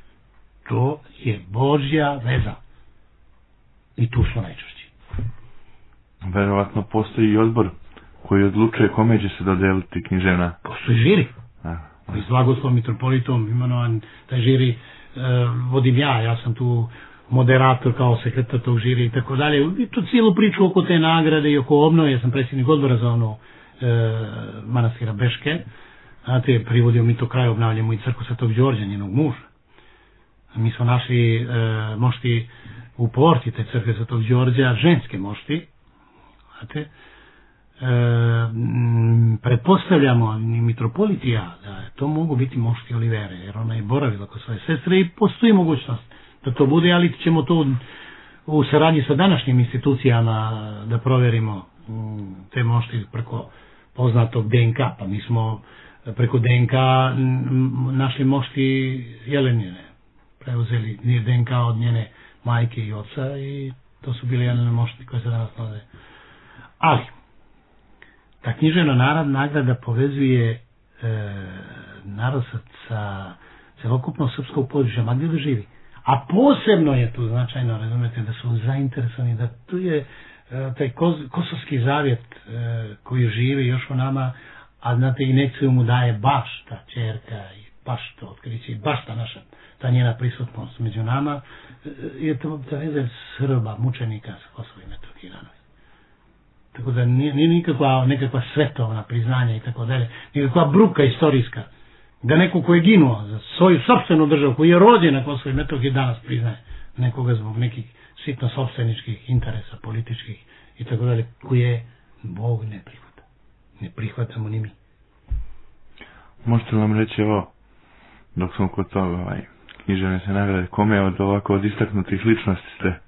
To je Božja veza. I tu smo najčešći. Verovatno postoji i odbor koji odlučuje kome će se dodeliti književna. Postoji žiri. I s blagoslovom mitropolitom imenovan taj žiri e, vodim ja. Ja sam tu moderator kao sekretar tog žiri i tako dalje. I tu cijelu priču oko te nagrade i oko obnove. Ja sam predsjednik odbora za ono e, manastira Beške. Znate, privodio mi to kraj, obnavljamo i crkvu Svetog Đorđa, njenog muža. Mi smo našli e, mošti u porti te crkve Svetog Đorđa, ženske mošti. Znate, e, m, pretpostavljamo ni mitropolit i ja da to mogu biti mošti Olivere, jer ona je boravila kod svoje sestre i postoji mogućnost da to bude, ali ćemo to u saradnji sa današnjim institucijama da proverimo m, te mošti preko poznatog D N K, pa mi smo preko D N K našli mošti Jelenine, preuzeli D N K od njene majke i oca i to su bili Jelene mošti koje se danas nalaze. Ali, ta književna narod nagrada povezuje e, narod sa, sa celokupno srpskog područja, ma gdje da živi. A posebno je tu značajno, razumete, da su zainteresovani, da tu je e, taj kos, kosovski zavjet e, koji živi još u nama, a znate, inekciju mu daje baš ta čerka i baš to otkriće, baš ta naša, ta njena prisutnost među nama, je to ta veza Srba, mučenika sa Kosova i Metohije danas. Tako da nije, nije nikakva nekakva svetovna priznanja i tako dalje, nikakva bruka istorijska, da neko ko je ginuo za svoju sopstvenu državu, koji je rođen na Kosovo i Metohiji danas priznaje nekoga zbog nekih sitno sopstveničkih interesa, političkih i tako dalje, koje Bog ne prihvata. Ne prihvatamo ni mi. Možete li nam reći ovo, dok smo kod toga, ovaj, književne se nagrade, kome od ovako od istaknutih ličnosti ste?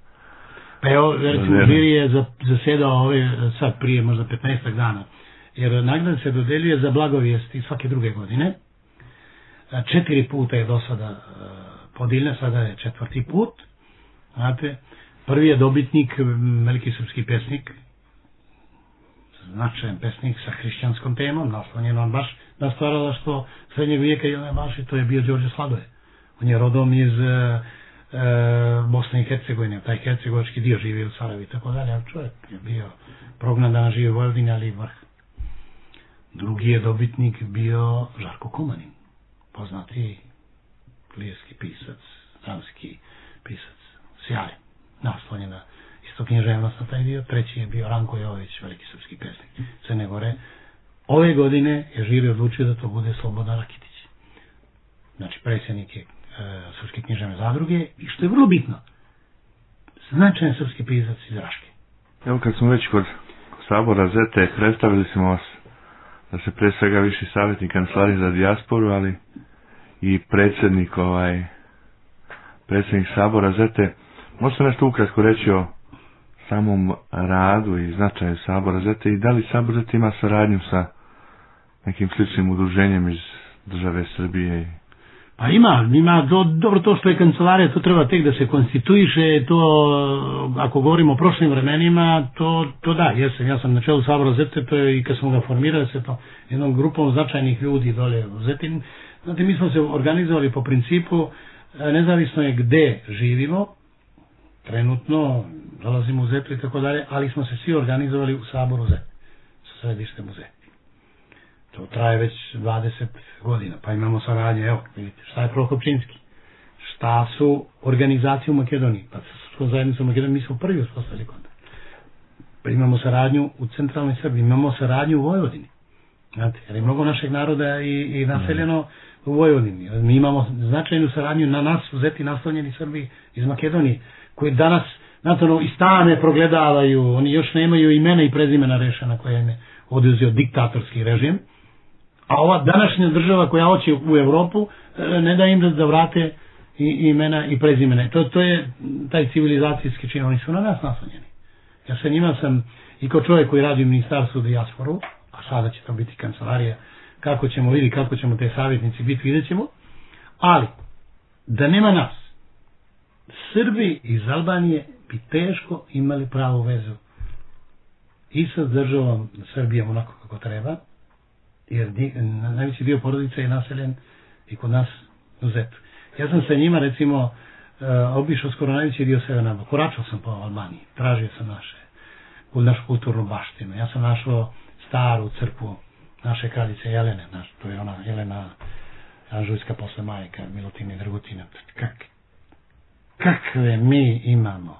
Pa evo, recimo, žiri je zasedao ove, sad prije možda petnaestak dana, jer nagrada se dodeljuje za blagovijesti svake druge godine. Četiri puta je do sada podijeljena, sada je četvrti put. Znate, Prvi je dobitnik, veliki srpski pesnik, značajan pesnik sa hrišćanskom temom, naslonjen on baš na stvaralaštvo srednjeg vijeka i one baš, to je bio Đorđe Sladoje. On je rodom iz e, e, Bosne i Hercegovine, taj hercegovački dio živio u Sarajevu i tako dalje, ali čovjek je bio prognan da živi u Vojvodini, ali i vrh. Drugi je dobitnik bio Žarko Kumanin, poznati lijevski pisac, dramski pisac, sjajan, naslonjen na isto književnost na taj dio. Treći je bio Ranko Jovović, veliki srpski pesnik Crne Gore. Ove godine je žiri odlučio da to bude Slobodan Rakitić. Znači, predsjednik je e, Srpske književne zadruge i što je vrlo bitno, značajan srpski pisac iz Raške. Evo kad smo već kod Sabora Zete, predstavili smo vas da se pre svega viši savjetnik Kancelarije za dijasporu, ali i predsjednik ovaj predsjednik Sabora Zete. Možete nešto ukratko reći o samom radu i značaju Sabora Zete i da li Sabor Zete ima saradnju sa nekim sličnim udruženjem iz države Srbije? Pa ima, ima do, dobro to što je kancelarija, to treba tek da se konstituiše, to ako govorimo o prošlim vremenima, to, to da, jesam, ja sam na čelu Sabora Zete, to je i kad smo ga formirali se to jednom grupom značajnih ljudi dole u Zetin. Znate, mi smo se organizovali po principu, nezavisno je gde živimo, trenutno dolazimo u Zetu i tako dalje, ali smo se svi organizovali u Saboru Zet, sa središtem u Zeti. To traje već dvadeset godina, pa imamo saradnje, evo, vidite, šta je Prokopčinski, šta su organizacije u Makedoniji, pa sa zajednicom u Makedoniji, mi smo prvi uspostavili kontakt. Pa imamo saradnju u centralnoj Srbiji, imamo saradnju u Vojvodini, znate, jer je mnogo našeg naroda i, i naseljeno u Vojvodini. Mi imamo značajnu saradnju na nas u Zeti naslonjeni Srbiji iz Makedonije, koji danas, znate, ono, i stane progledavaju, oni još nemaju imena i prezimena rešena koje im je oduzeo diktatorski režim, a ova današnja država koja hoće u Evropu ne da im da, da vrate i, imena i prezimene. To, to je taj civilizacijski čin, oni su na nas naslonjeni. Ja sa njima sam i kao čovjek koji radi u Ministarstvu dijasporu, a sada će to biti kancelarija, kako ćemo vidjeti, kako ćemo te savjetnici biti, vidjet ćemo, ali da nema nas, Srbi iz Albanije bi teško imali pravu vezu i sa državom Srbijom onako kako treba, jer najveći dio porodica je naseljen i kod nas u Zetu. Ja sam sa njima, recimo, uh, obišao skoro najveći dio Severne Albanije. Koračao sam po Albaniji, tražio sam naše, našu kulturnu baštinu. Ja sam našao staru crkvu naše kraljice Jelene, naš, to je ona Jelena Anžujska posle majka, Milutina i Dragutina. Kak, kakve mi imamo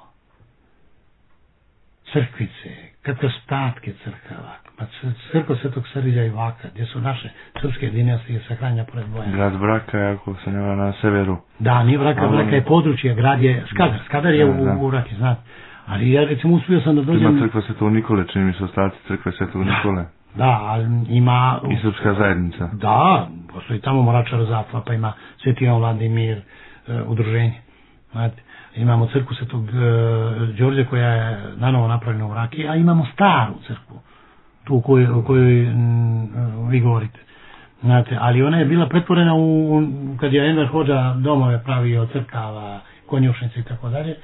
crkvice, kakve ostatke crkava, pa crkva Svetog Srđa i Vaka, gdje su naše srpske dinastije sahranja pored Bojana. Grad Braka je, ako se ne na severu. Da, nije Braka, ali... Braka je područje, grad je Skadar, Skadar je da, u, da. u Raki, znate. Ali ja recimo uspio sam da dođem... Ima crkva Svetog Nikole, čini mi se ostaci crkve Svetog da, Nikole. Da, ali ima... I srpska zajednica. Da, postoji tamo Moračar Zatva, pa ima Sveti Jovan Vladimir, uh, udruženje. Znate, imamo crkvu Svetog uh, Đorđe koja je nanovo napravljena u Raki, a imamo staru crkvu, tu u kojoj, u kojoj m, vi govorite. Znate, ali ona je bila pretvorena u, u kad je Enver Hodža domove pravio, crkava, konjušnice i tako dalje.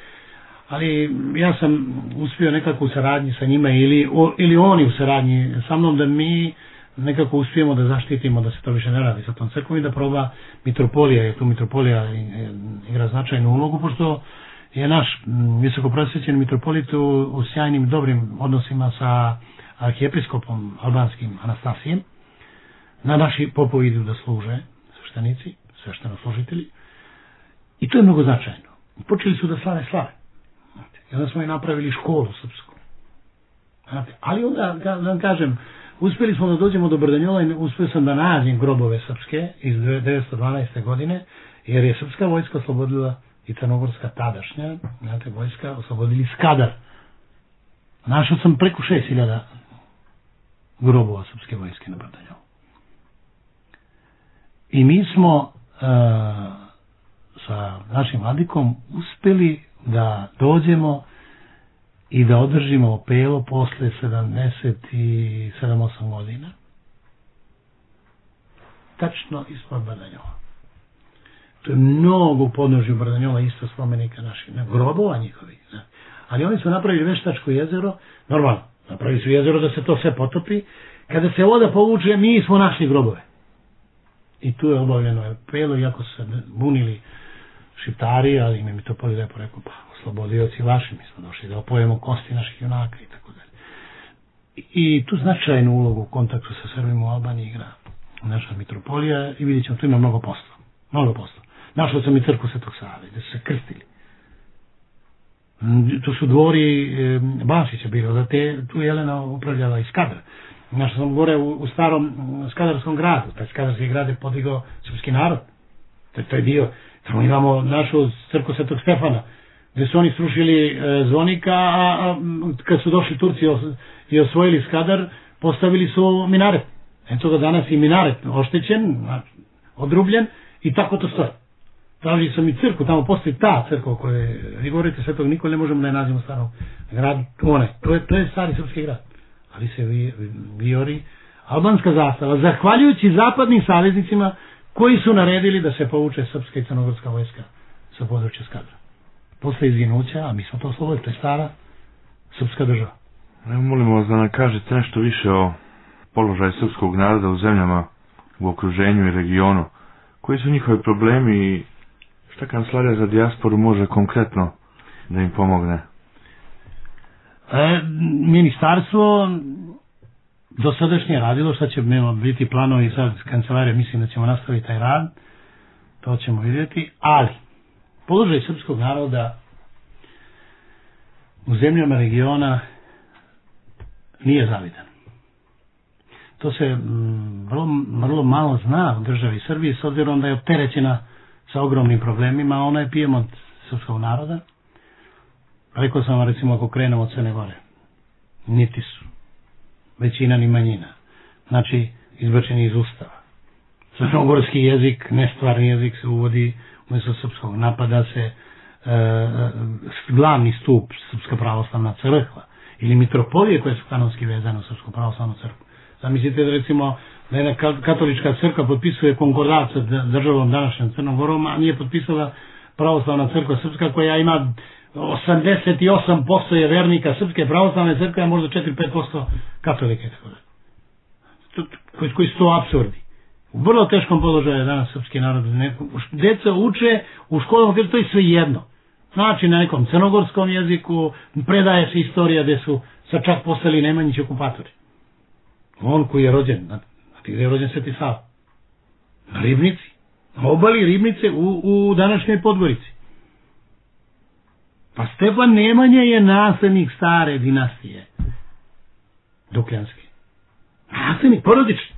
Ali ja sam uspio nekako u saradnji sa njima ili, o, ili oni u saradnji sa mnom da mi nekako uspijemo da zaštitimo da se to više ne radi sa tom crkvom i da proba mitropolija, jer tu mitropolija igra značajnu ulogu, pošto je naš visoko prosvećen mitropolit u, u sjajnim dobrim odnosima sa arhijepiskopom albanskim Anastasijem. Na naši popovi idu da služe sveštenici, sveštenoslужitelji, i to je mnogo značajno. Počeli su da slave slave. I onda smo i napravili školu srpsku. Ali onda, da vam kažem, uspjeli smo da dođemo do Brdanjola i uspio sam da nađem grobove srpske iz devetsto dvanaeste. godine, jer je srpska vojska oslobodila i crnogorska tadašnja, znate, vojska oslobodili Skadar. Našao sam preko šest hiljada grobova srpske vojske na Brdanjolu. I mi smo uh, sa našim vladikom uspjeli da dođemo i da održimo opelo posle sedamdeset sedam osam godina. Tačno ispod Brdanjola. To je mnogo u podnožju Brdanjova isto spomenika naših, ne, grobova njihovih. Ne. Ali oni su napravili Veštačko jezero, normalno, napravili su jezero da se to sve potopi. Kada se voda povuče, mi smo našli grobove. I tu je obavljeno apelo, iako su se bunili Šiptari, ali im je Mitropolij lepo rekao, pa oslobodioci vaši, mi smo došli da opojemo kosti naših junaka i tako dalje. I tu značajnu ulogu u kontaktu sa Srbima u Albaniji igra naša Mitropolija i vidjet ćemo, tu ima mnogo posla. Mnogo posla. Našao sam i crkvu Svetog Save, gde su se krstili. Tu su dvori e, Basića bilo, da te, tu Jelena upravljala i Skadar. Našao sam gore u, u starom Skadarskom gradu, taj Skadarski grad je podigao srpski narod. To, to je dio. Tamo imamo našu crkvu Svetog Stefana, gde su oni srušili e, zvonika, a, a kad su došli Turci os, i osvojili Skadar, postavili su minaret. Eto ga danas i minaret oštećen, odrubljen, i tako to stoji. Traži sam i crkvu, tamo postoji ta crkva koje vi govorite Svetog Nikole, ne možemo da je nazivamo starom gradu, one, to je, to je stari srpski grad. Ali se vi, vijori albanska zastava, zahvaljujući zapadnim saveznicima koji su naredili da se povuče srpska i crnogorska vojska sa područja Skadra. Posle izginuća, a mi smo to oslobodili, to je stara srpska država. Evo, molimo vas da nam kažete nešto više o položaju srpskog naroda u zemljama u okruženju i regionu. Koji su njihovi problemi i šta Kancelarija za dijasporu može konkretno da im pomogne? E, ministarstvo dosadašnje radilo, šta će biti planovi sad kancelarije, mislim da ćemo nastaviti taj rad, to ćemo vidjeti, ali položaj srpskog naroda u zemljama regiona nije zavidan. To se mm, vrlo, vrlo malo zna u državi Srbiji, s obzirom da je opterećena sa ogromnim problemima, ona je pijem od srpskog naroda. Rekao sam vam, recimo, ako krenemo od Crne Gore, niti su većina ni manjina, znači izbačeni iz Ustava. Crnogorski jezik, nestvarni jezik se uvodi umjesto srpskog, napada se e, glavni stup Srpska pravoslavna crkva ili mitropolije koje su kanonski vezane u Srpsku pravoslavnu crkvu. Zamislite da recimo da jedna katolička crkva potpisuje konkordat sa državom današnjom Crnom Gorom, a nije potpisala pravoslavna crkva srpska koja ima osamdeset osam posto je vernika Srpske pravoslavne crkve, a možda četiri do pet posto katolike. Koji, koji su to apsurdi. U vrlo teškom položaju je danas srpski narod. Deca uče u školama gdje to je sve jedno. Znači na nekom crnogorskom jeziku predaje se istorija gdje su sad čak postali Nemanjići okupatori. On koji je rođen, znate gdje je rođen Sveti Sava? Na Ribnici. Na obali Ribnice u, u današnjoj Podgorici. Pa Stefan Nemanja je naslednik stare dinastije Dukljanske. Naslednik, porodični.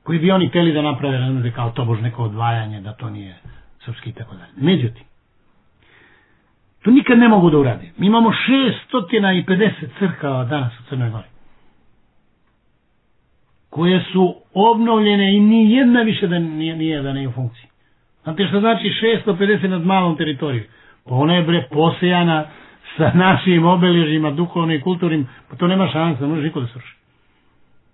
Koji bi oni hteli da naprave, ne kao tobož neko odvajanje, da to nije srpski i tako dalje. Međutim, to nikad ne mogu da urade. Mi imamo šesto pedeset crkava danas u Crnoj Gori, koje su obnovljene i ni jedna više da nije, nije da nije u funkciji. Znate što znači šesto pedeset nad malom teritorijom? Pa ona je bre posejana sa našim obeležima, duhovnim i kulturnim, pa to nema šansa, ne može niko da sruši.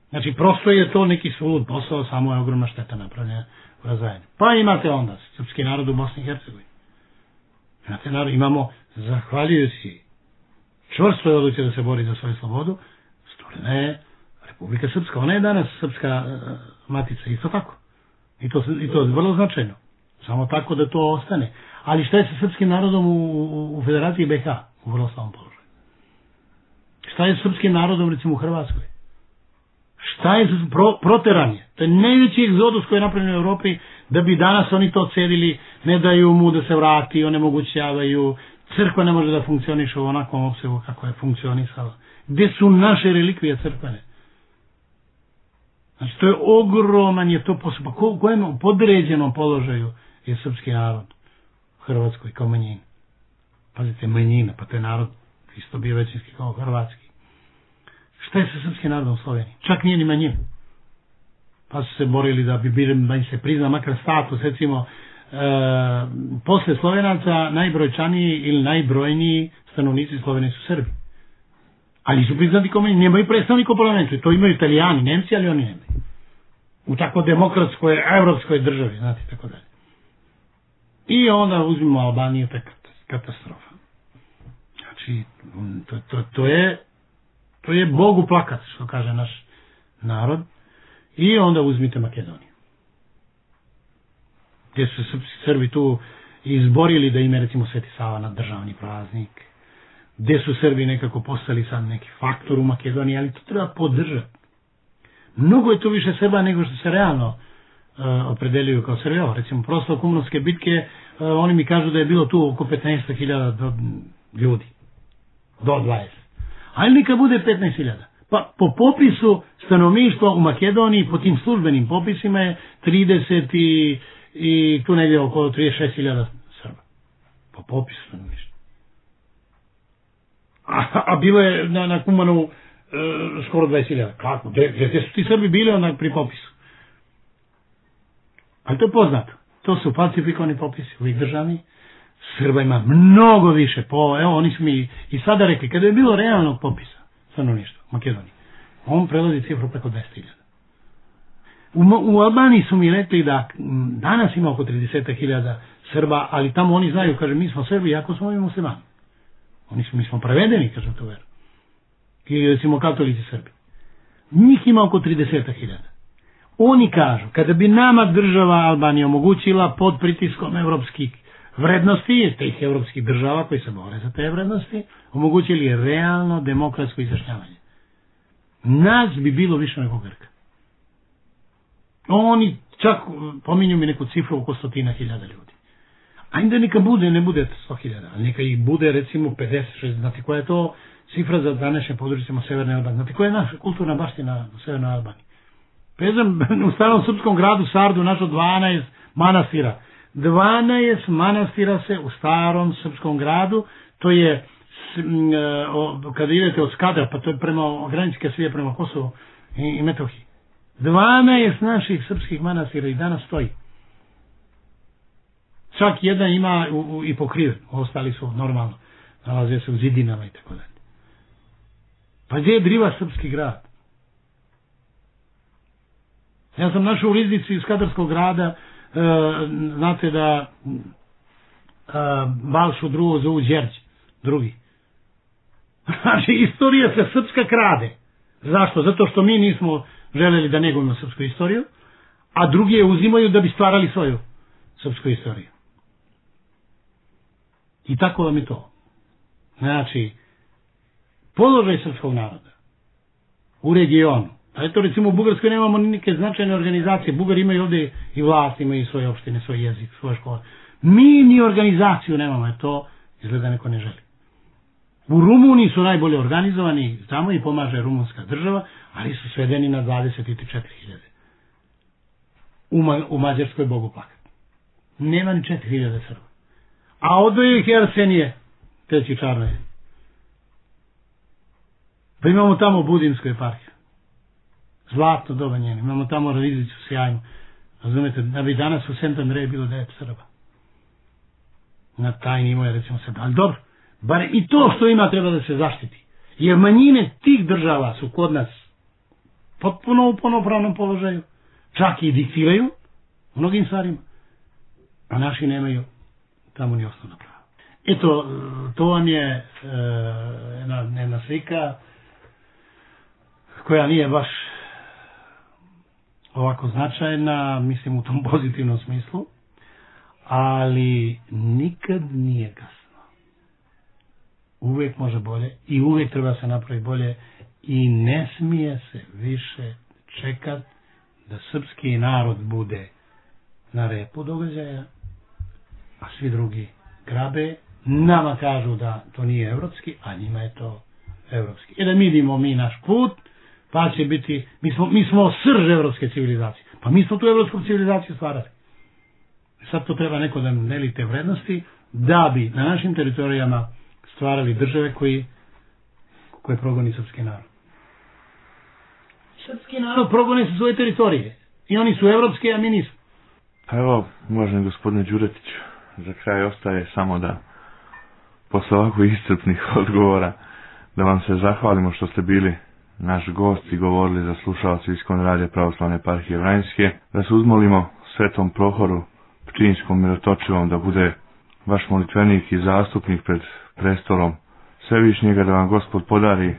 Znači, prosto je to neki sulud posao, samo je ogromna šteta napravljena u razvajanju. Pa imate onda srpski narod u Bosni i Hercegovini. Imate narod, imamo, zahvaljujući čvrstoj odluci da se bori za svoju slobodu, stvorena je Republika Srpska. Ona je danas srpska uh, matica, isto tako. I to, I to je vrlo značajno. Samo tako da to ostane. Ali šta je sa srpskim narodom u, u, u Federaciji B H? U vrlo slabom položaju. Šta je s srpskim narodom, recimo, u Hrvatskoj? Šta je pro, proteranje? To je najveći egzodus koji je napravljen u Evropi, da bi danas oni to cedili, ne daju mu da se vrati, onemogućavaju, crkva ne može da funkcioniše u onakvom opsegu kako je funkcionisala. Gde su naše relikvije crkvene? Znači, to je ogroman, je to posao. Ko, kojem podređenom položaju je srpski narod u Hrvatskoj kao manjina? Pazite, manjina, pa to je narod isto bio većinski kao hrvatski. Šta je sa srpskim narodom u Sloveniji? Čak nije ni manjina. Pa su se borili da bi bili, da im se prizna makar status, recimo, e, posle Slovenaca najbrojčaniji ili najbrojniji stanovnici Slovenije su Srbi. Ali su priznati kao manjina, nemaju predstavnika u parlamentu. To imaju Italijani, Nemci, ali oni nemaju. U tako demokratskoj, evropskoj državi, znate, tako dalje. I onda uzmimo Albaniju, to je katastrofa. Znači, to, to, to je to je Bogu plakat, što kaže naš narod. I onda uzmite Makedoniju. Gdje su Srbi tu izborili da ime recimo Sveti Sava na državni praznik. Gdje su Srbi nekako postali sad neki faktor u Makedoniji, ali to treba podržati. Mnogo je tu više Srba nego što se realno uh, opredeljuju kao Srbi. Evo, recimo, prosto Kumanovske bitke, uh, oni mi kažu da je bilo tu oko petnaest hiljada ljudi. Do dvadeset. Ali neka bude petnaest hiljada. Pa po popisu stanovništva u Makedoniji, po tim službenim popisima je trideset i, i tu negdje oko trideset šest hiljada Srba. Po popisu stanovništva. A, a bilo je na, na Kumanovu e, skoro dvadeset hiljada. Kako? Gdje, gdje su ti Srbi bili onda pri popisu? Ali to je poznato. To su falsifikovani popisi, uvijek državni. Srba ima mnogo više. Po, evo, oni su mi i sada rekli, kada je bilo realnog popisa stanovništva u Makedoniji, on prelazi cifru preko dvesta hiljada. U, u Albaniji su mi rekli da danas ima oko trideset hiljada Srba, ali tamo oni znaju, kaže, mi smo Srbi, jako smo i muslimani. Oni su, mi smo prevedeni, kaže to veru. I recimo katolici Srbi. Njih ima oko trideset hiljada. Oni kažu, kada bi nama država Albanija omogućila pod pritiskom evropskih vrednosti, tih evropskih država koji se bore za te vrednosti, omogućili realno demokratsko izjašnjavanje. Nas bi bilo više nego Grka. Oni čak pominju mi neku cifru oko stotina hiljada ljudi. Ajde neka bude, ne bude sto hiljada, ali neka ih bude recimo pedeset šezdeset. Znate koja je to cifra za današnje područjima Severne Albanije? Znate koja je naša kulturna baština u Severnoj Albaniji? Pezam, u starom srpskom gradu Sardu našo dvanaest manastira. dvanaest manastira se u starom srpskom gradu, to je kada idete od Skadra, pa to je prema graničke svije prema Kosovu i, i Metohiji. dvanaest naših srpskih manastira i danas stoji. Čak jedan ima u, u, i pokriven, ostali su normalno, nalaze se u zidinama i tako dalje. Pa gdje je Driva srpski grad? Ja sam našao u riznici iz Skadarskog grada, e, znate da e, Balšu drugo zovu Đerđ, drugi. Znači, istorija se srpska krade. Zašto? Zato što mi nismo želeli da negujemo srpsku istoriju, a drugi je uzimaju da bi stvarali svoju srpsku istoriju. I tako vam je to. Znači, položaj srpskog naroda u regionu. A eto, recimo, u Bugarskoj nemamo neke značajne organizacije. Bugari imaju ovdje i vlast, imaju svoje opštine, svoj jezik, svoje škole. Mi ni organizaciju nemamo, jer to izgleda neko ne želi. U Rumuniji su najbolje organizovani, tamo i pomaže rumunska država, ali su svedeni na dvadeset četiri hiljade. U, Ma, u Mađarskoj Bogu plakat. Nema ni četiri hiljade Srba. A odvoje ih Arsenije, treći Čarnoje. Pa imamo tamo Budimsku eparhiju. Zlatno doba njene. Imamo tamo Riznicu sjajnu. Razumete, da bi danas u Sent Andreju bilo devet Srba. Na taj nivo je recimo Srba. Ali dobro, bar i to što ima treba da se zaštiti. Jer manjine tih država su kod nas potpuno u punopravnom položaju. Čak i diktiraju mnogim stvarima. A naši nemaju tamo ni osnovna prava. Eto, to vam je e, jedna, jedna slika koja nije baš ovako značajna, mislim u tom pozitivnom smislu, ali nikad nije kasno. Uvijek može bolje i uvijek treba se napraviti bolje i ne smije se više čekat da srpski narod bude na repu događaja, a svi drugi grabe. Nama kažu da to nije evropski, a njima je to evropski. I da mi vidimo mi naš put, pa će biti, mi smo, mi smo srž evropske civilizacije. Pa mi smo tu evropsku civilizaciju stvarali. Sad to treba neko da deli te vrednosti, da bi na našim teritorijama stvarali države koji, koje progoni srpski narod. Srpski narod progoni su svoje teritorije. I oni su evropske, a mi nismo. Evo, uvaženi gospodine Đuretić, za kraj ostaje samo da posle ovako iscrpnih odgovora da vam se zahvalimo što ste bili naš gost i govorili za slušalce Iskon radija Pravoslavne eparhije Vranjske, da se uzmolimo Svetom Prohoru, Pčinjskom mirotočivom, da bude vaš molitvenik i zastupnik pred prestolom Svevišnjega, da vam Gospod podari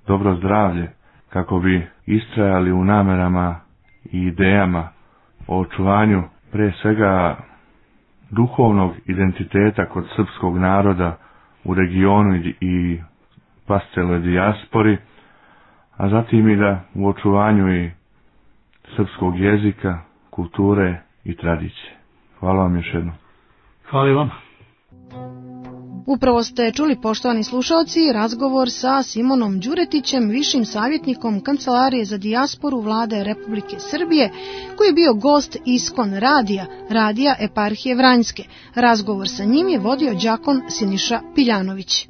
dobro zdravlje, kako bi istrajali u namerama i idejama o očuvanju pre svega duhovnog identiteta kod srpskog naroda u regionu i pa celoj dijaspori, a zatim i da u očuvanju i srpskog jezika, kulture i tradicije. Hvala vam još jednom. Hvala vam. Upravo ste čuli, poštovani slušalci, razgovor sa Simonom Đuretićem, višim savjetnikom Kancelarije za dijasporu Vlade Republike Srbije, koji je bio gost Iskon radija, radija Eparhije Vranjske. Razgovor sa njim je vodio đakon Siniša Piljanović.